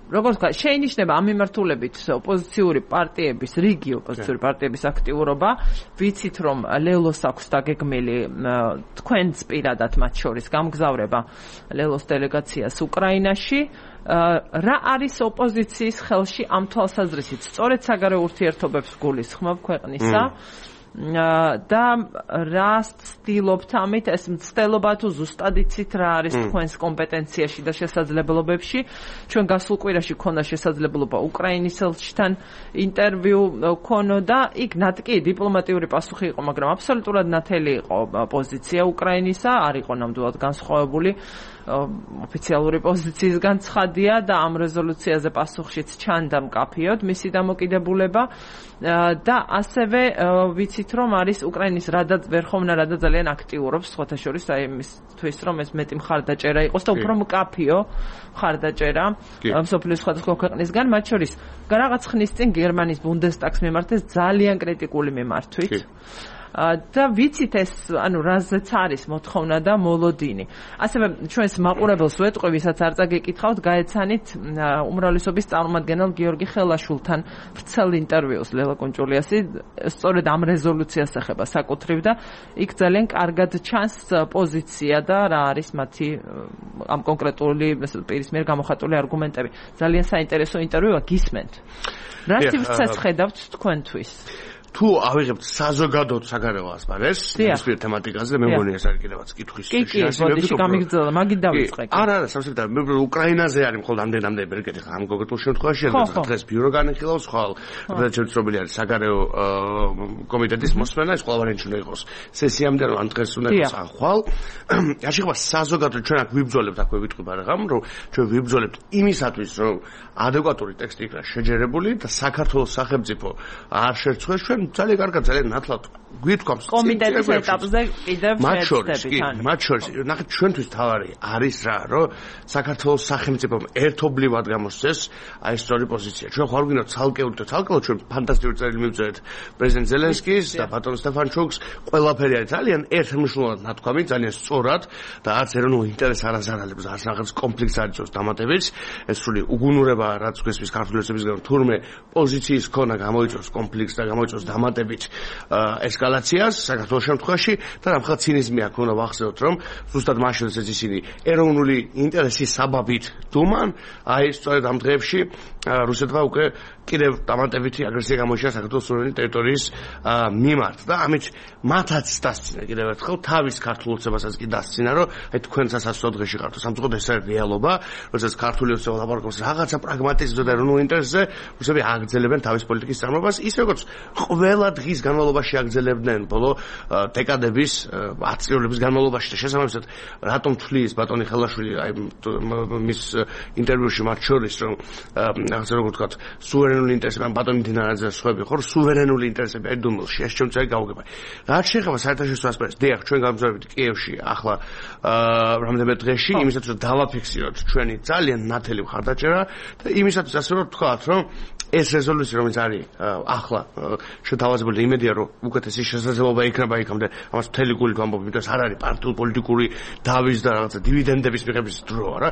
როგორც ვთქვათ, შეინიშნება ამ მიმართულებით ოპოზიციური პარტიების, რიგი ოპოზიციური პარტიების აქტიურობა. ვიცით, რომ ლელოს აქვს დაგეგმილი თქვენც პირადად მათ შორის გამგზავრება ლელოს დელეგაციას უკრაინაში. რა არის ოპოზიციის ხელში ამ თვალსაზრისით? სწორედ საგარეო ურთიერთობებს გულისხმობ ქვეყნისა და რა ცდილობთ ამით ეს მცდელობა თუ ზუსტად იცით რა არის თქვენს კომპეტენციაში და შესაძლებლობებში ჩვენ გასულ კვირაში ქონდა შესაძლებლობა უკრაინის ელჩთან ინტერვიუ ქონოდა იქ ნატკი დიპლომატიური პასუხი იყო მაგრამ აბსოლუტურად ნათელი იყო პოზიცია უკრაინისა არ იყო ნამდვილად განსხვავებული ოფიციალური პოზიციისგან ცხადია და ამ რეზოლუციაზე პასუხშიც ჩანდა მკაფიოდ მისი დამოკიდებულება და ასევე ვიცით რომ არის უკრაინის რადაც ვერხოვნა რადა ძალიან აქტიურობს სხვათა შორის აი იმისთვის რომ ეს მეტი მხარდაჭერა იყოს და უფრო მკაფიო მხარდაჭერა მსოფლიოს სხვადასხვა ქვეყნისგან მათ შორის რაღაც ხნის წინ გერმანიის ბუნდესტაგს მიმართეს ძალიან კრიტიკული მიმართვით და ვიცით ეს ანუ რაზეც არის მოთხოვნა და მოლოდინი. ასევე ჩვენს მაყურებელს ვეტყვი, ვისაც არ წაგეკითხავთ, გაეცანით უმრავლესობის წარმომადგენელ გიორგი ხელაშვილთან ვრცელ ინტერვიუს ლელა კუნჭულიასი, სწორედ ამ რეზოლუციას ეხება საკუთრივ და იქ ძალიან კარგად ჩანს პოზიცია და რა არის მათი ამ კონკრეტული პირის მიერ გამოხატული არგუმენტები. ძალიან საინტერესო ინტერვიუა, გისმენთ. რა სივრცეს ხედავთ თქვენთვის? თუ ავიღებთ საზოგადოდ საგარეო ასპარეზს ის თემატიკაზე მე მგონი ეს არის კიდევაც კითხვის შეასრულებელი გამიგრძელა მაგით დავიწყე არა სამსახურთან მე უკრაინაზე არის მხოლოდ ამდენამდე ბერკეთი ამ კონკრეტულ შემთხვევაში დღეს ბიურო განიხილავს ხვალ და შეცდომილი არის საგარეო კომიტეტის მოსმენა ეს ყველაფერი უნდა იყოს სესიამდე რომ ან დღეს უნდა იყოს ან ხვალ არ შეიძლება საზოგადოდ ჩვენ აქ ვიბრძოლებთ აქვე ვიტყვი მაგრამ რომ ჩვენ ვიბრძოლებთ იმისათვის რომ ადეკვატური ტექსტი იქნა შეჯერებული და საქართველოს სახელმწიფო არ შერცხვეს ჩვენ ძალიან კარგად ძალიან ნათლად გვითქვამს კომიტეტის ეტაპზე კიდევ შეერთებით მათ შორის ნახეთ ჩვენთვის თავარი არის რა რომ საქართველოს სახელმწიფომ ერთობლივად გამოსცეს აი სწორი პოზიცია ჩვენ ხარ ვინო ცალკეული ჩვენ ფანტასტიკური წერილი მივწერეთ პრეზიდენტ ზელენსკის და ბატონ სტეფანჩუკს ყველაფერი არის ძალიან ერთმნიშვნელოვნად ნათქვამი ძალიან სწორად და არც ეროვნულ ინტერესს არ აზარალებს არც რაღაც კონფლიქტს არ იწვევს დამატებითს ეს სული უგუნურება რაც გვესმის ქართულებისგან თურმე პოზიციის ქონა გამოიწვევს კონფლიქტს და გამოიწვევს დამატებით ესკალაციას საქართველოს შემთხვევაში და რამხელა ცინიზმი აქ უნდა ვახსენოთ რომ ზუსტად მაშინ ეს ისინი ეროვნული ინტერესის საბაბით დუმან აი სწორედ ამ დღეებში რუსეთმა უკვე კიდევ დამატებითი აგრესია გამოიჩინა საქართველოს სუვერენი ტერიტორიის მიმართ და ამით მათაც დასცინა კიდევ ერთხელ თავის ქართულ ოცნებასაც კი დასცინა რომ აი თქვენ სასაცილო დღეში ხართ სამწუხაროდ ეს არის რეალობა როდესაც ქართული ოცნება ლაპარაკობს რაღაცა პრაგმატიზმზე და ეროვნულ ინტერესზე რუსები აგრძელებენ თავის პოლიტიკის წარმოებას ის როგორც ყველა დღის განმავლობაში აგრძელებდნენ ბოლო დეკადების 10 წლების განმავლობაში და შესაბამისად რატომ თვლის ბატონი ხელაშვილი აი მის ინტერვიუში მათ შორის რომ რაღაცა როგორ ვთქვათ სუვერენული ინტერესები ბატონი დინარაძე სხვები ხო სუვერენული ინტერესები აი დუმილში ეს ჩემწერი გავუგება რაც შეეხება საერთაშორისო ასპარეზს დიახ ჩვენ გამგზავრებით კიევში ახლა რამდენიმე დღეში იმისათვის რომ დავაფიქსიროთ ჩვენი ძალიან ნათელი მხარდაჭერა და იმისათვის ასე რომ ვთქვათ რომ ეს რეზოლუცია რომელიც არის ახლა შეთავაზებული იმედია რომ უკეთესი შესაძლებლობა იქნება იქამდე ამას მთელი გულით ვამბობ იმიტომ რომ არ არის პარტიულ პოლიტიკური დავის და რაღაცა დივიდენდების მიღების დრო არა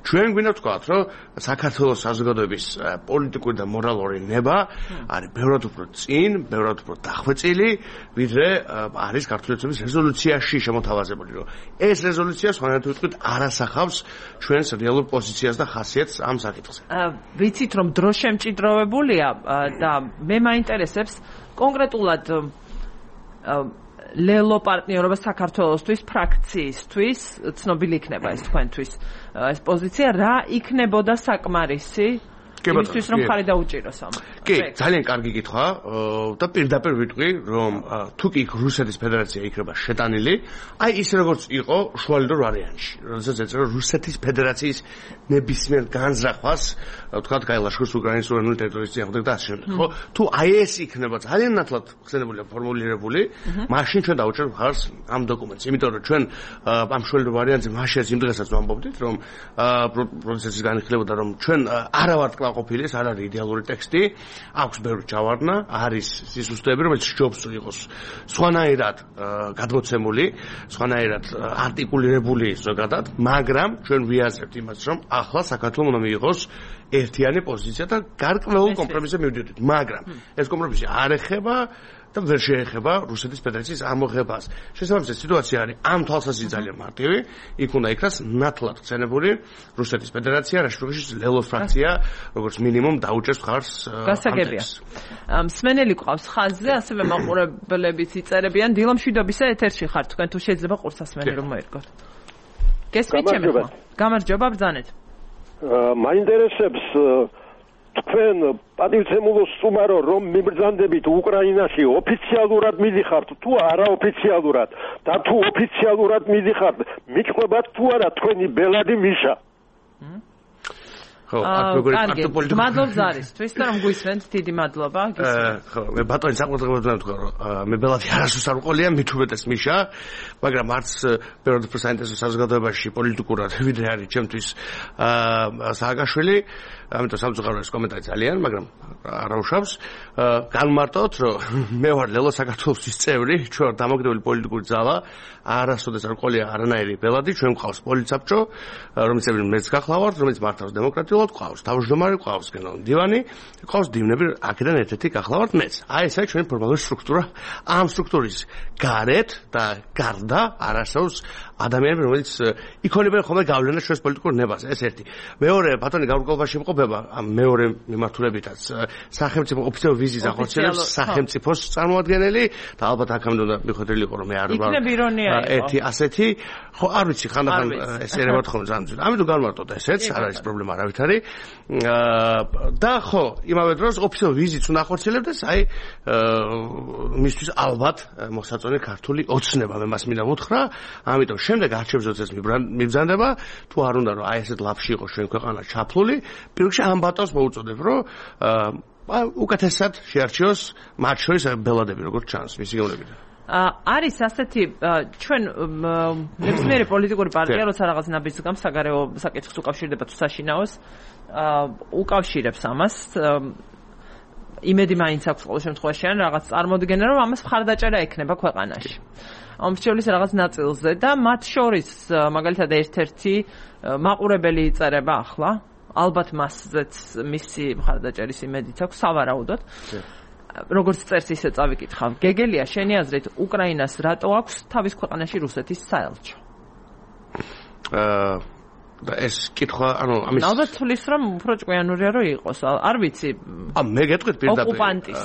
ჩვენ გვინდა ვთქვათ რომ საქართველოს საზოგადოების პოლიტიკური და მორალური ნება არის ბევრად უფრო წინ ბევრად უფრო დახვეწილი ვიდრე არის ქართული ოცნების რეზოლუციაში შემოთავაზებული რომ ეს რეზოლუცია სხვანაირად ვიტყვით არასახავს ჩვენს რეალურ პოზიციას და ხასიათს ამ საკითხზე ვიცით რომ დრო შემჭიდროვებულია და მე მაინტერესებს კონკრეტულად ლელო პარტნიორობა საქართველოსთვის ფრაქციისთვის ცნობილი იქნება ეს თქვენთვის ეს პოზიცია რა იქნებოდა საკმარისი იმისთვის რომ ხარი დაუჭიროს ამ კი ძალიან კარგი კითხვა და პირდაპირ ვიტყვი რომ თუ კი რუსეთის ფედერაცია იქნება შეტანილი აი ის როგორც იყო შუალედურ ვარიანტში როდესაც ეწერა რუსეთის ფედერაციის ნებისმიერ განზრახვას ვთქვათ გაილაშქროს უკრაინის სუვერენული ტერიტორიის წინააღმდეგ და ასე შემდეგ ხო თუ აი ეს იქნება ძალიან ნათლად ხსენებული და ფორმულირებული მაშინ ჩვენ დაუჭერთ ხარს ამ დოკუმენტს იმიტომ რომ ჩვენ ამ შუალედურ ვარიანტზე მაშინ იმ დღესაც ვამბობდით რომ პროცესის განხილებოდა რომ ჩვენ არა ვართ ყოფილი ეს არ არის იდეალური ტექსტი აქვს ბევრი ჩავარდნა არის სისუსტეები რომელიც სჯობს იყოს სხვანაირად გადმოცემული სხვანაირად არტიკულირებული ზოგადად მაგრამ ჩვენ ვიაზრებთ იმას რომ ახლა საქართველოს უნდა მიიღოს ერთიანი პოზიცია და გარკვეულ კომპრომისზე მივდივართ მაგრამ ეს კომპრომისი არ ეხება და ვერ შეეხება რუსეთის ფედერაციის ამოღებას. შესაბამისად სიტუაცია არის ამ თვალსაზრისით ძალიან მარტივი. იქ უნდა იქნას ნათლად ხსენებული რუსეთის ფედერაცია, რა შემთხვევაში ლელოს ფრაქცია, როგორც მინიმუმ დაუჭერს მხარს გასაგებია. მსმენელი ყავს ხაზზე, ასევე მაყურებლებიც იწერებიან. დილა მშვიდობისა ეთერში ხართ თქვენ თუ შეიძლება ყურსასმენი რომ მოერგოთ. გესმით ჩემი ხმა? გამარჯობა ბრძანეთ. მაინტერესებს თქვენ პატივცემულო სტუმარო რომ მიბრძანდებით უკრაინაში ოფიციალურად მიდიხართ თუ არაოფიციალურად და თუ ოფიციალურად მიდიხართ მიყვებათ თუ არა თქვენი ბელადი მიშა ხო, აქტუალური პოლიტიკა. მადლობს არისთვის და რომ გვისმენთ, დიდი მადლობა. ხო, მე ბატონი საყურებლად ვთქვა, რომ მე ბელადი არასდროს არ ვყოლია, მით უმეტეს მიშა, მაგრამ არც ბევრად უფრო საინტერესო საზოგადოებაში პოლიტიკურად ვიდრე არის ჩემთვის სააკაშვილი, ამიტომ სამწუხაროა ეს კომენტარი ძალიან, მაგრამ არ უშავს. განმარტოთ, რომ მე ვარ ლელო საქართველოსის წევრი, ჩვენ ვარ დამოუკიდებელი პოლიტიკური ძალა, არასოდეს არ ვყოლია არანაირი ბელადი, ჩვენ გვყავს პოლიცაბჭო, რომელიც მეც გახლავართ, რომელიც მართავს დემოკრატიულად, ყავს თავმჯდომარე, ყავს გენერალური მდივანი, ყავს დივნები, აქედან ერთ-ერთი გახლავართ მეც. აი ეს არის ჩვენი ფორმალური სტრუქტურა. ამ სტრუქტურის გარეთ და გარდა არასდროს ადამიანები, რომელიც იქონებენ ხოლმე გავლენა ჩვენს პოლიტიკურ ნებაზე, ეს ერთი. მეორე, ბატონი გაურკვევლობაში იმყოფება ამ მეორე მიმართულებითაც სახელმწიფო ოფიციალური ვიზის ახორციელებს სახელმწიფოს წარმოადგენელი და ალბათ აქამდე უნდა მიხვედრილი იყო რომ მე არ ვარ ერთი ასეთი ხო არ ვიცი ხანდახან ეს ერევათ ხოლმე ძალიან. ამიტომ განმარტოთ ესეც არ არის პრობლემა არავით არის და ხო იმავე დროს ოფიციალური ვიზიც უნდა ახორციელებდეს აი მისთვის ალბათ მოსაწონი ქართული ოცნება მე მას მინდა ვუთხრა ამიტომ შემდეგ არჩევნებს ეს მიბრძანდება თუ არ უნდა რომ აი ესეთ ლაფში იყოს ჩვენ ქვეყანა ჩაფლული პირველში ამ ბატონს მოუწოდებ რომ უკეთესად შეარჩიოს მათ შორის ბელადები როგორც ჩანს მისი გეუბნებიდან არის ასეთი ჩვენ ნებისმიერი პოლიტიკური პარტია როცა რაღაც ნაბიჯს გამ საგარეო საკითხს უკავშირდება თუ საშინაოს უკავშირებს ამას იმედი მაინც აქვს ყოველ შემთხვევაში ან რაღაც წარმოდგენა რომ ამას მხარდაჭერა ექნება ქვეყანაში ომშეულის რაღაც ნაწილზე და მათ შორის მაგალითად ერთ-ერთი მაყურებელი იწერება ახლა ალბათ მასზეც მისი მხარდაჭერის იმედიც აქვს სავარაუდოდ როგორც წერს ისე წავიკითხავ გეგელია შენი აზრით უკრაინას რატო აქვს თავის ქვეყანაში რუსეთის საელჩო და ეს კითხვა ანუ ამის ალბათ თulis რომ უფრო ჭკვიანურია რომ იყოს არ ვიცი მე გეტყვით პირდაპირ ოკუპანტის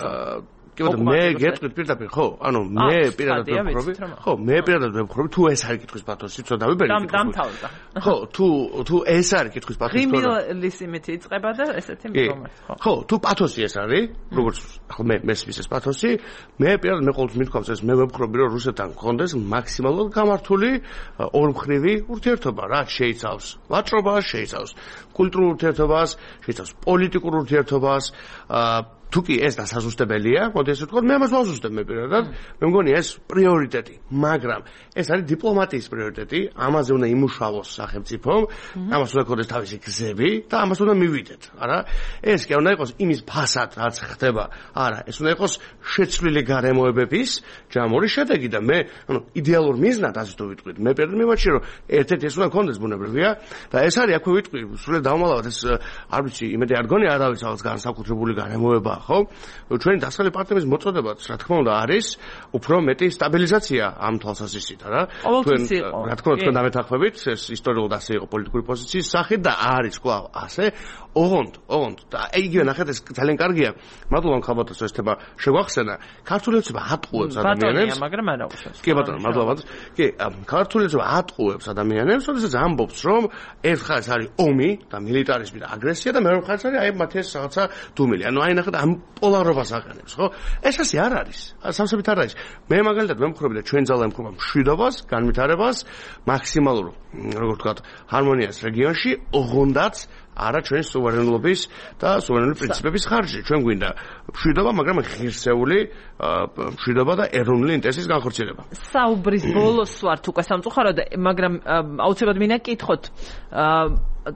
მე გეტყვით პირდაპირ ხო ანუ მე პირადად ვფიქრობ ხო მე პირადად ვფიქრობ თუ ეს არის კითხვის პათოსი ცოტა ვიბერი დამთავრდა ხო თუ ეს არის კითხვის პათოსი რიმილის იმითი იწყება და ესეთი მდგომარეობა ხო თუ პათოსი ეს არის როგორც ხო მე მესმის ეს პათოსი მე პირადად მე ყოველთვის მithქვამს ეს მე ვფიქრობ რომ რუსეთთან გქონდეს მაქსიმალურად გამართული ორმხრივი ურთიერთობა რა შეიცავს ვაჭრობას შეიცავს კულტურულ ურთიერთობას შეიცავს პოლიტიკურ ურთიერთობას თუკი ეს დასაზუსტებელია, მოდი ესე ვთქვა, მე ამას ვაზუსტებ მე პირადად. მე მგონი ეს პრიორიტეტი, მაგრამ ეს არის დიპლომატიის პრიორიტეტი, ამაზე უნდა იმუშავოს სახელმწიფომ, ამას უნდა ქონდეს თავისი გზები და ამას უნდა მივიდეთ, არა? ეს კი უნდა იყოს იმის ფასად, რაც ხდება, არა, ეს უნდა იყოს შეცვლილი გარემოებების ჯამური შედეგი და მე, ანუ იდეალურ მიზნად ასე თუ ვიტყვით, მე პირადად მივაჩნიე, რომ ერთ-ერთი ეს უნდა ქონდეს ბუნებრივია და ეს არის აქვე ვიტყვი, სულ დავმალავად ეს არ ვიცი, იმედი არ გონია არავის რაღაც განსაკუთრებული გარემოება ხო ჩვენი დასავლელი პარტნიორების მოწოდებაც რა თქმა უნდა არის უფრო მეტი სტაბილიზაცია ამ თვალსაზრისით რა რა თქმა უნდა თქვენ დამეთანხმებით ეს ისტორიულად ასე იყო პოლიტიკური პოზიციის სახით და არის კვლავ ასე ოღონდ და იგივე ნახეთ ეს ძალიან კარგია მადლობა ხალბატონს ეს თემა შეგვახსენა ქართული ოცნება ატყუებს ადამიანებს მაგრამ არა უშავს კი ბატონო მადლობა კი ქართული ოცნება ატყუებს ადამიანებს როდესაც ამბობს რომ ერთ ხაზს არის ომი და მილიტარიზმი და აგრესია და მეორე ხაზს არის აი მათი ეს რაღაცა დუმილი ანუ აი ნახეთ ამ პოლარობას აყენებს ხო ეს ასე არ არის სამსებით არ არის მე მაგალითად ვემხრობი და ჩვენ ძალა ემხრობა მშვიდობას განვითარებას მაქსიმალურ როგორ ვთქვათ ჰარმონიას რეგიონში ოღონდაც არა ჩვენი სუვერენობის და სუვერენული პრინციპების ხარჯზე ჩვენ გვინდა მშვიდობა მაგრამ ღირსეული მშვიდობა და ეროვნული ინტერესის განხორციელება საუბრის ბოლოს ვართ უკვე სამწუხაროდ მაგრამ აუცილებლად მინდა გკითხოთ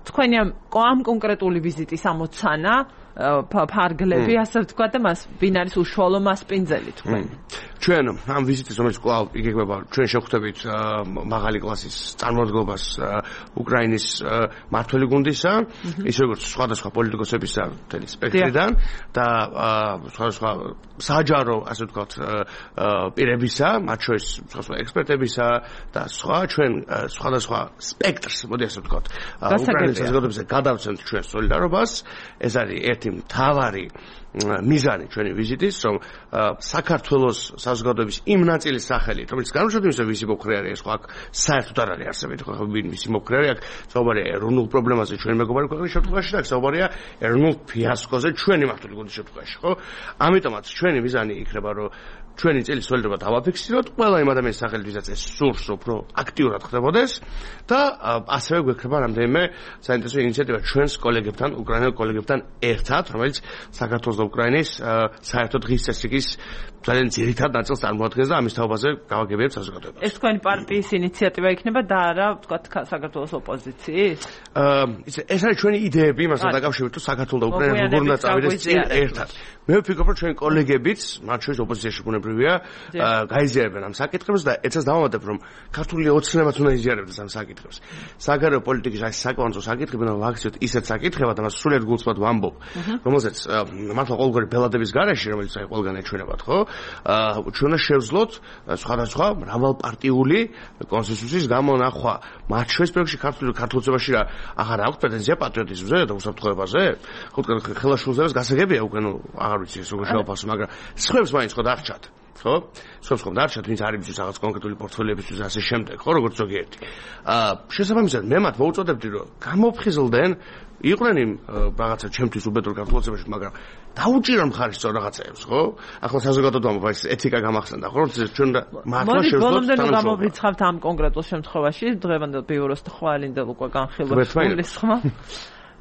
თქვენი ამ კონკრეტული ვიზიტის ამოცანა ფარგლები ასე ვთქვა და მას ვინ არის უშუალო მასპინძელი თქვენ ჩვენ ამ ვიზიტის რომელიც კვლავ იგეგმება ჩვენ შევხვდებით მაღალი კლასის წარმოადგენლობას უკრაინის მმართველი გუნდისა ის როგორც სხვადასხვა პოლიტიკოსებისა მთელი სპექტრიდან და სხვადასხვა საჯარო, ასე ვთქვათ, პირებისა, მათ შორის სხვადასხვა ექსპერტებისა და ჩვენ სხვადასხვა სპექტრს, მოდი ასე ვთქვათ, უკრაინის საზოგადოებაზე გადავცემთ ჩვენ სოლიდარობას. ეს არის ერთი მთავარი მიზანი ჩვენი ვიზიტის, რომ საქართველოს საზოგადოების იმ ნაწილის სახელით, რომელიც განსხვავებით ვისი მოქრე არის, ხო აქ საერთოდ არ არის არსებითი, ხო ვისი მოქრე არის, აქ საუბარია ეროვნულ პრობლემაზე ჩვენი მეგობარი ქვეყნის შემთხვევაში და აქ საუბარია ეროვნულ ფიასკოზე ჩვენი მართული გუნდის შემთხვევაში, ხო? ამიტომაც ჩვენი მიზანი იქნება, რომ ჩვენი წილის სოლიდარობა დავაფიქსიროთ ყველა იმ ადამიანის სახელით, ვისაც ეს სურს, უფრო აქტიურად ხდებოდეს და ასევე გვექნება რამდენიმე საინტერესო ინიციატივა ჩვენს კოლეგებთან, უკრაინელ კოლეგებთან ერთად, რომელიც საქართველოს და უკრაინის საერთო დღის წესრიგის ძალიან ძირითად ნაწილს წარმოადგენს და ამის თაობაზე გავაგებიათ საზოგადოებას. ეს თქვენი პარტიის ინიციატივა იქნება და არა, ვთქვათ, საქართველოს ოპოზიციის? ეს არის ჩვენი იდეები იმასთან დაკავშირებით, რომ საქართველოს და უკრაინა როგორ უნდა წავიდეს წინ ერთად. მე ვფიქრობ, რომ ჩვენი კოლეგებიც, მათ შორის ოპოზიციაში ბუნებრივია, გაიზიარებენ ამ საკითხებს და ეცას დავამატებ, რომ ქართული ოცნებაც უნდა იზიარებდეს ამ საკითხებს. საგარეო პოლიტიკის ეს საკონცო საკითხები უნდა ვაქციოთ ისეთ საკითხებად, ამას სულიერ გულწრფად ვამბობ, რომელზეც მართლა ყოველგვარი ბელადების გარეშე, რომელიც აი ყველგან ეჩვენებათ, ხო? ჩვენ უნდა შევძლოთ სხვადასხვა მრავალპარტიული კონსენსუსის გამონახვა. მათ შორის პროექტში ქართულოცებაში რა აღარ აქვს პრეტენზია პატრიოტიზმზე და უსაფრთხოებაზე? ხო, ხელაშულებებას გასაგებია უკვე, ნუ აღარ ვიცი ეს როგორ შევაფასო, მაგრამ სხვებს მაინც ხო დარჩათ. ხო? სხვებს ხომ დარჩათ, ვინც არის ის რაღაც კონკრეტული პორტფოლიებისთვის ასე შემდეგ, ხო, როგორც ზოგიერთი. შესაბამისად, მე მათ მოუწოდებდი, რომ გამოფხიზლდნენ იყვნენ იმ რაღაცა ჩემთვის უბედურ ქართულოცებაში, მაგრამ დაუჭირონ მხარი სწორ რაღაცეებს, ხო? ახლა საზოგადოებამ ეს ეთიკა გამახსენდა, ხო? ჩვენ მართლა შევძლოთ თანამშრომლობა. გამოვრიცხავთ ამ კონკრეტულ შემთხვევაში, დღევანდელ ბიუროს ხვალინდელ უკვე განხილვებს გულისხმობ.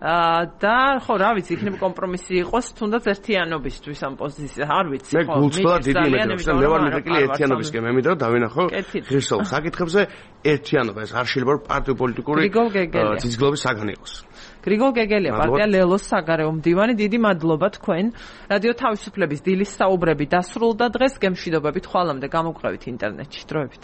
და ხო, რა ვიცი, იქნება კომპრომისი იყოს, თუნდაც ერთიანობისთვის ამ პოზიციაზე, არ ვიცი, ხო. მე გულწრფელად დიდი იმედი მე ვარ მიდრეკილი ერთიანობისკენ, მე მინდა დავინახო ღირსეულ საკითხებზე ერთიანობა, ეს არ შეიძლება პარტიო პოლიტიკური ძიძგლობის საგანი იყოს. გრიგოლ გეგელია, პარტია ლელოს საგარეო მდივანი, დიდი მადლობა თქვენ. რადიო თავისუფლების დილის საუბრები დასრულდა დღეს, გემშვიდობებით ხვალამდე გამოგყევით ინტერნეტში, დროებით.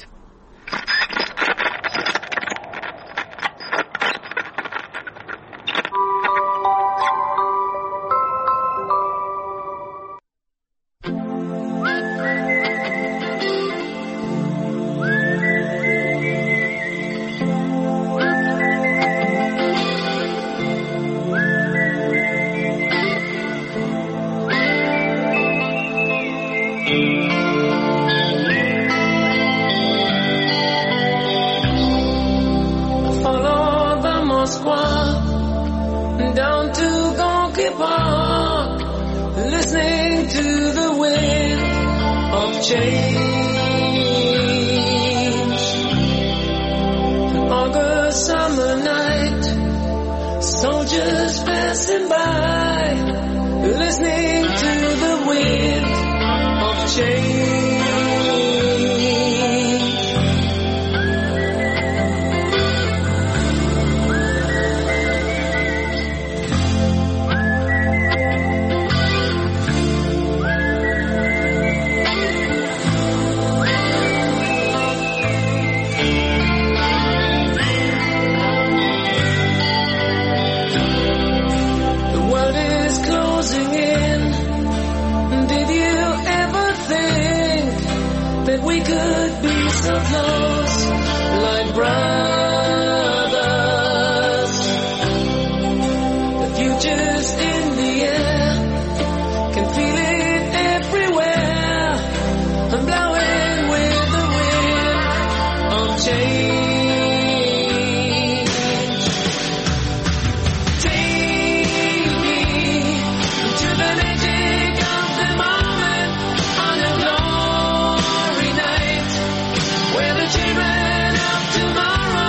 Tomorrow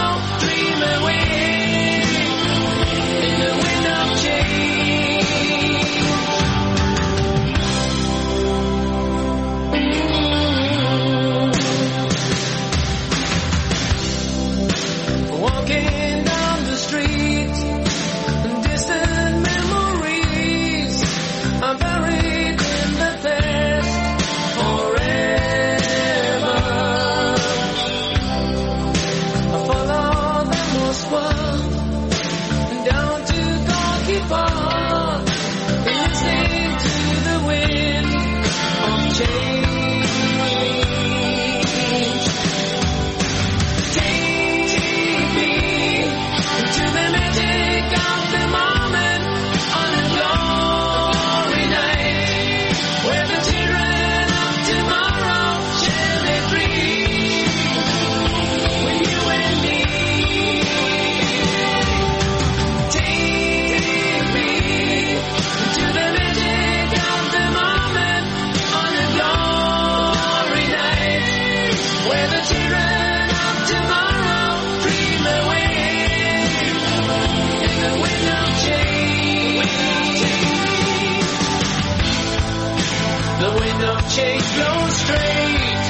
The wind of change blows straight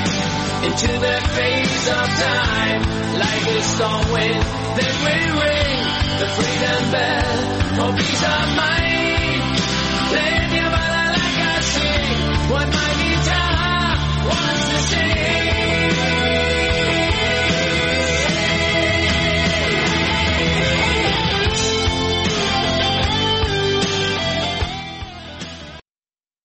into the face of time. Like a storm wind, then we ring the freedom bell for peace of mind. Let your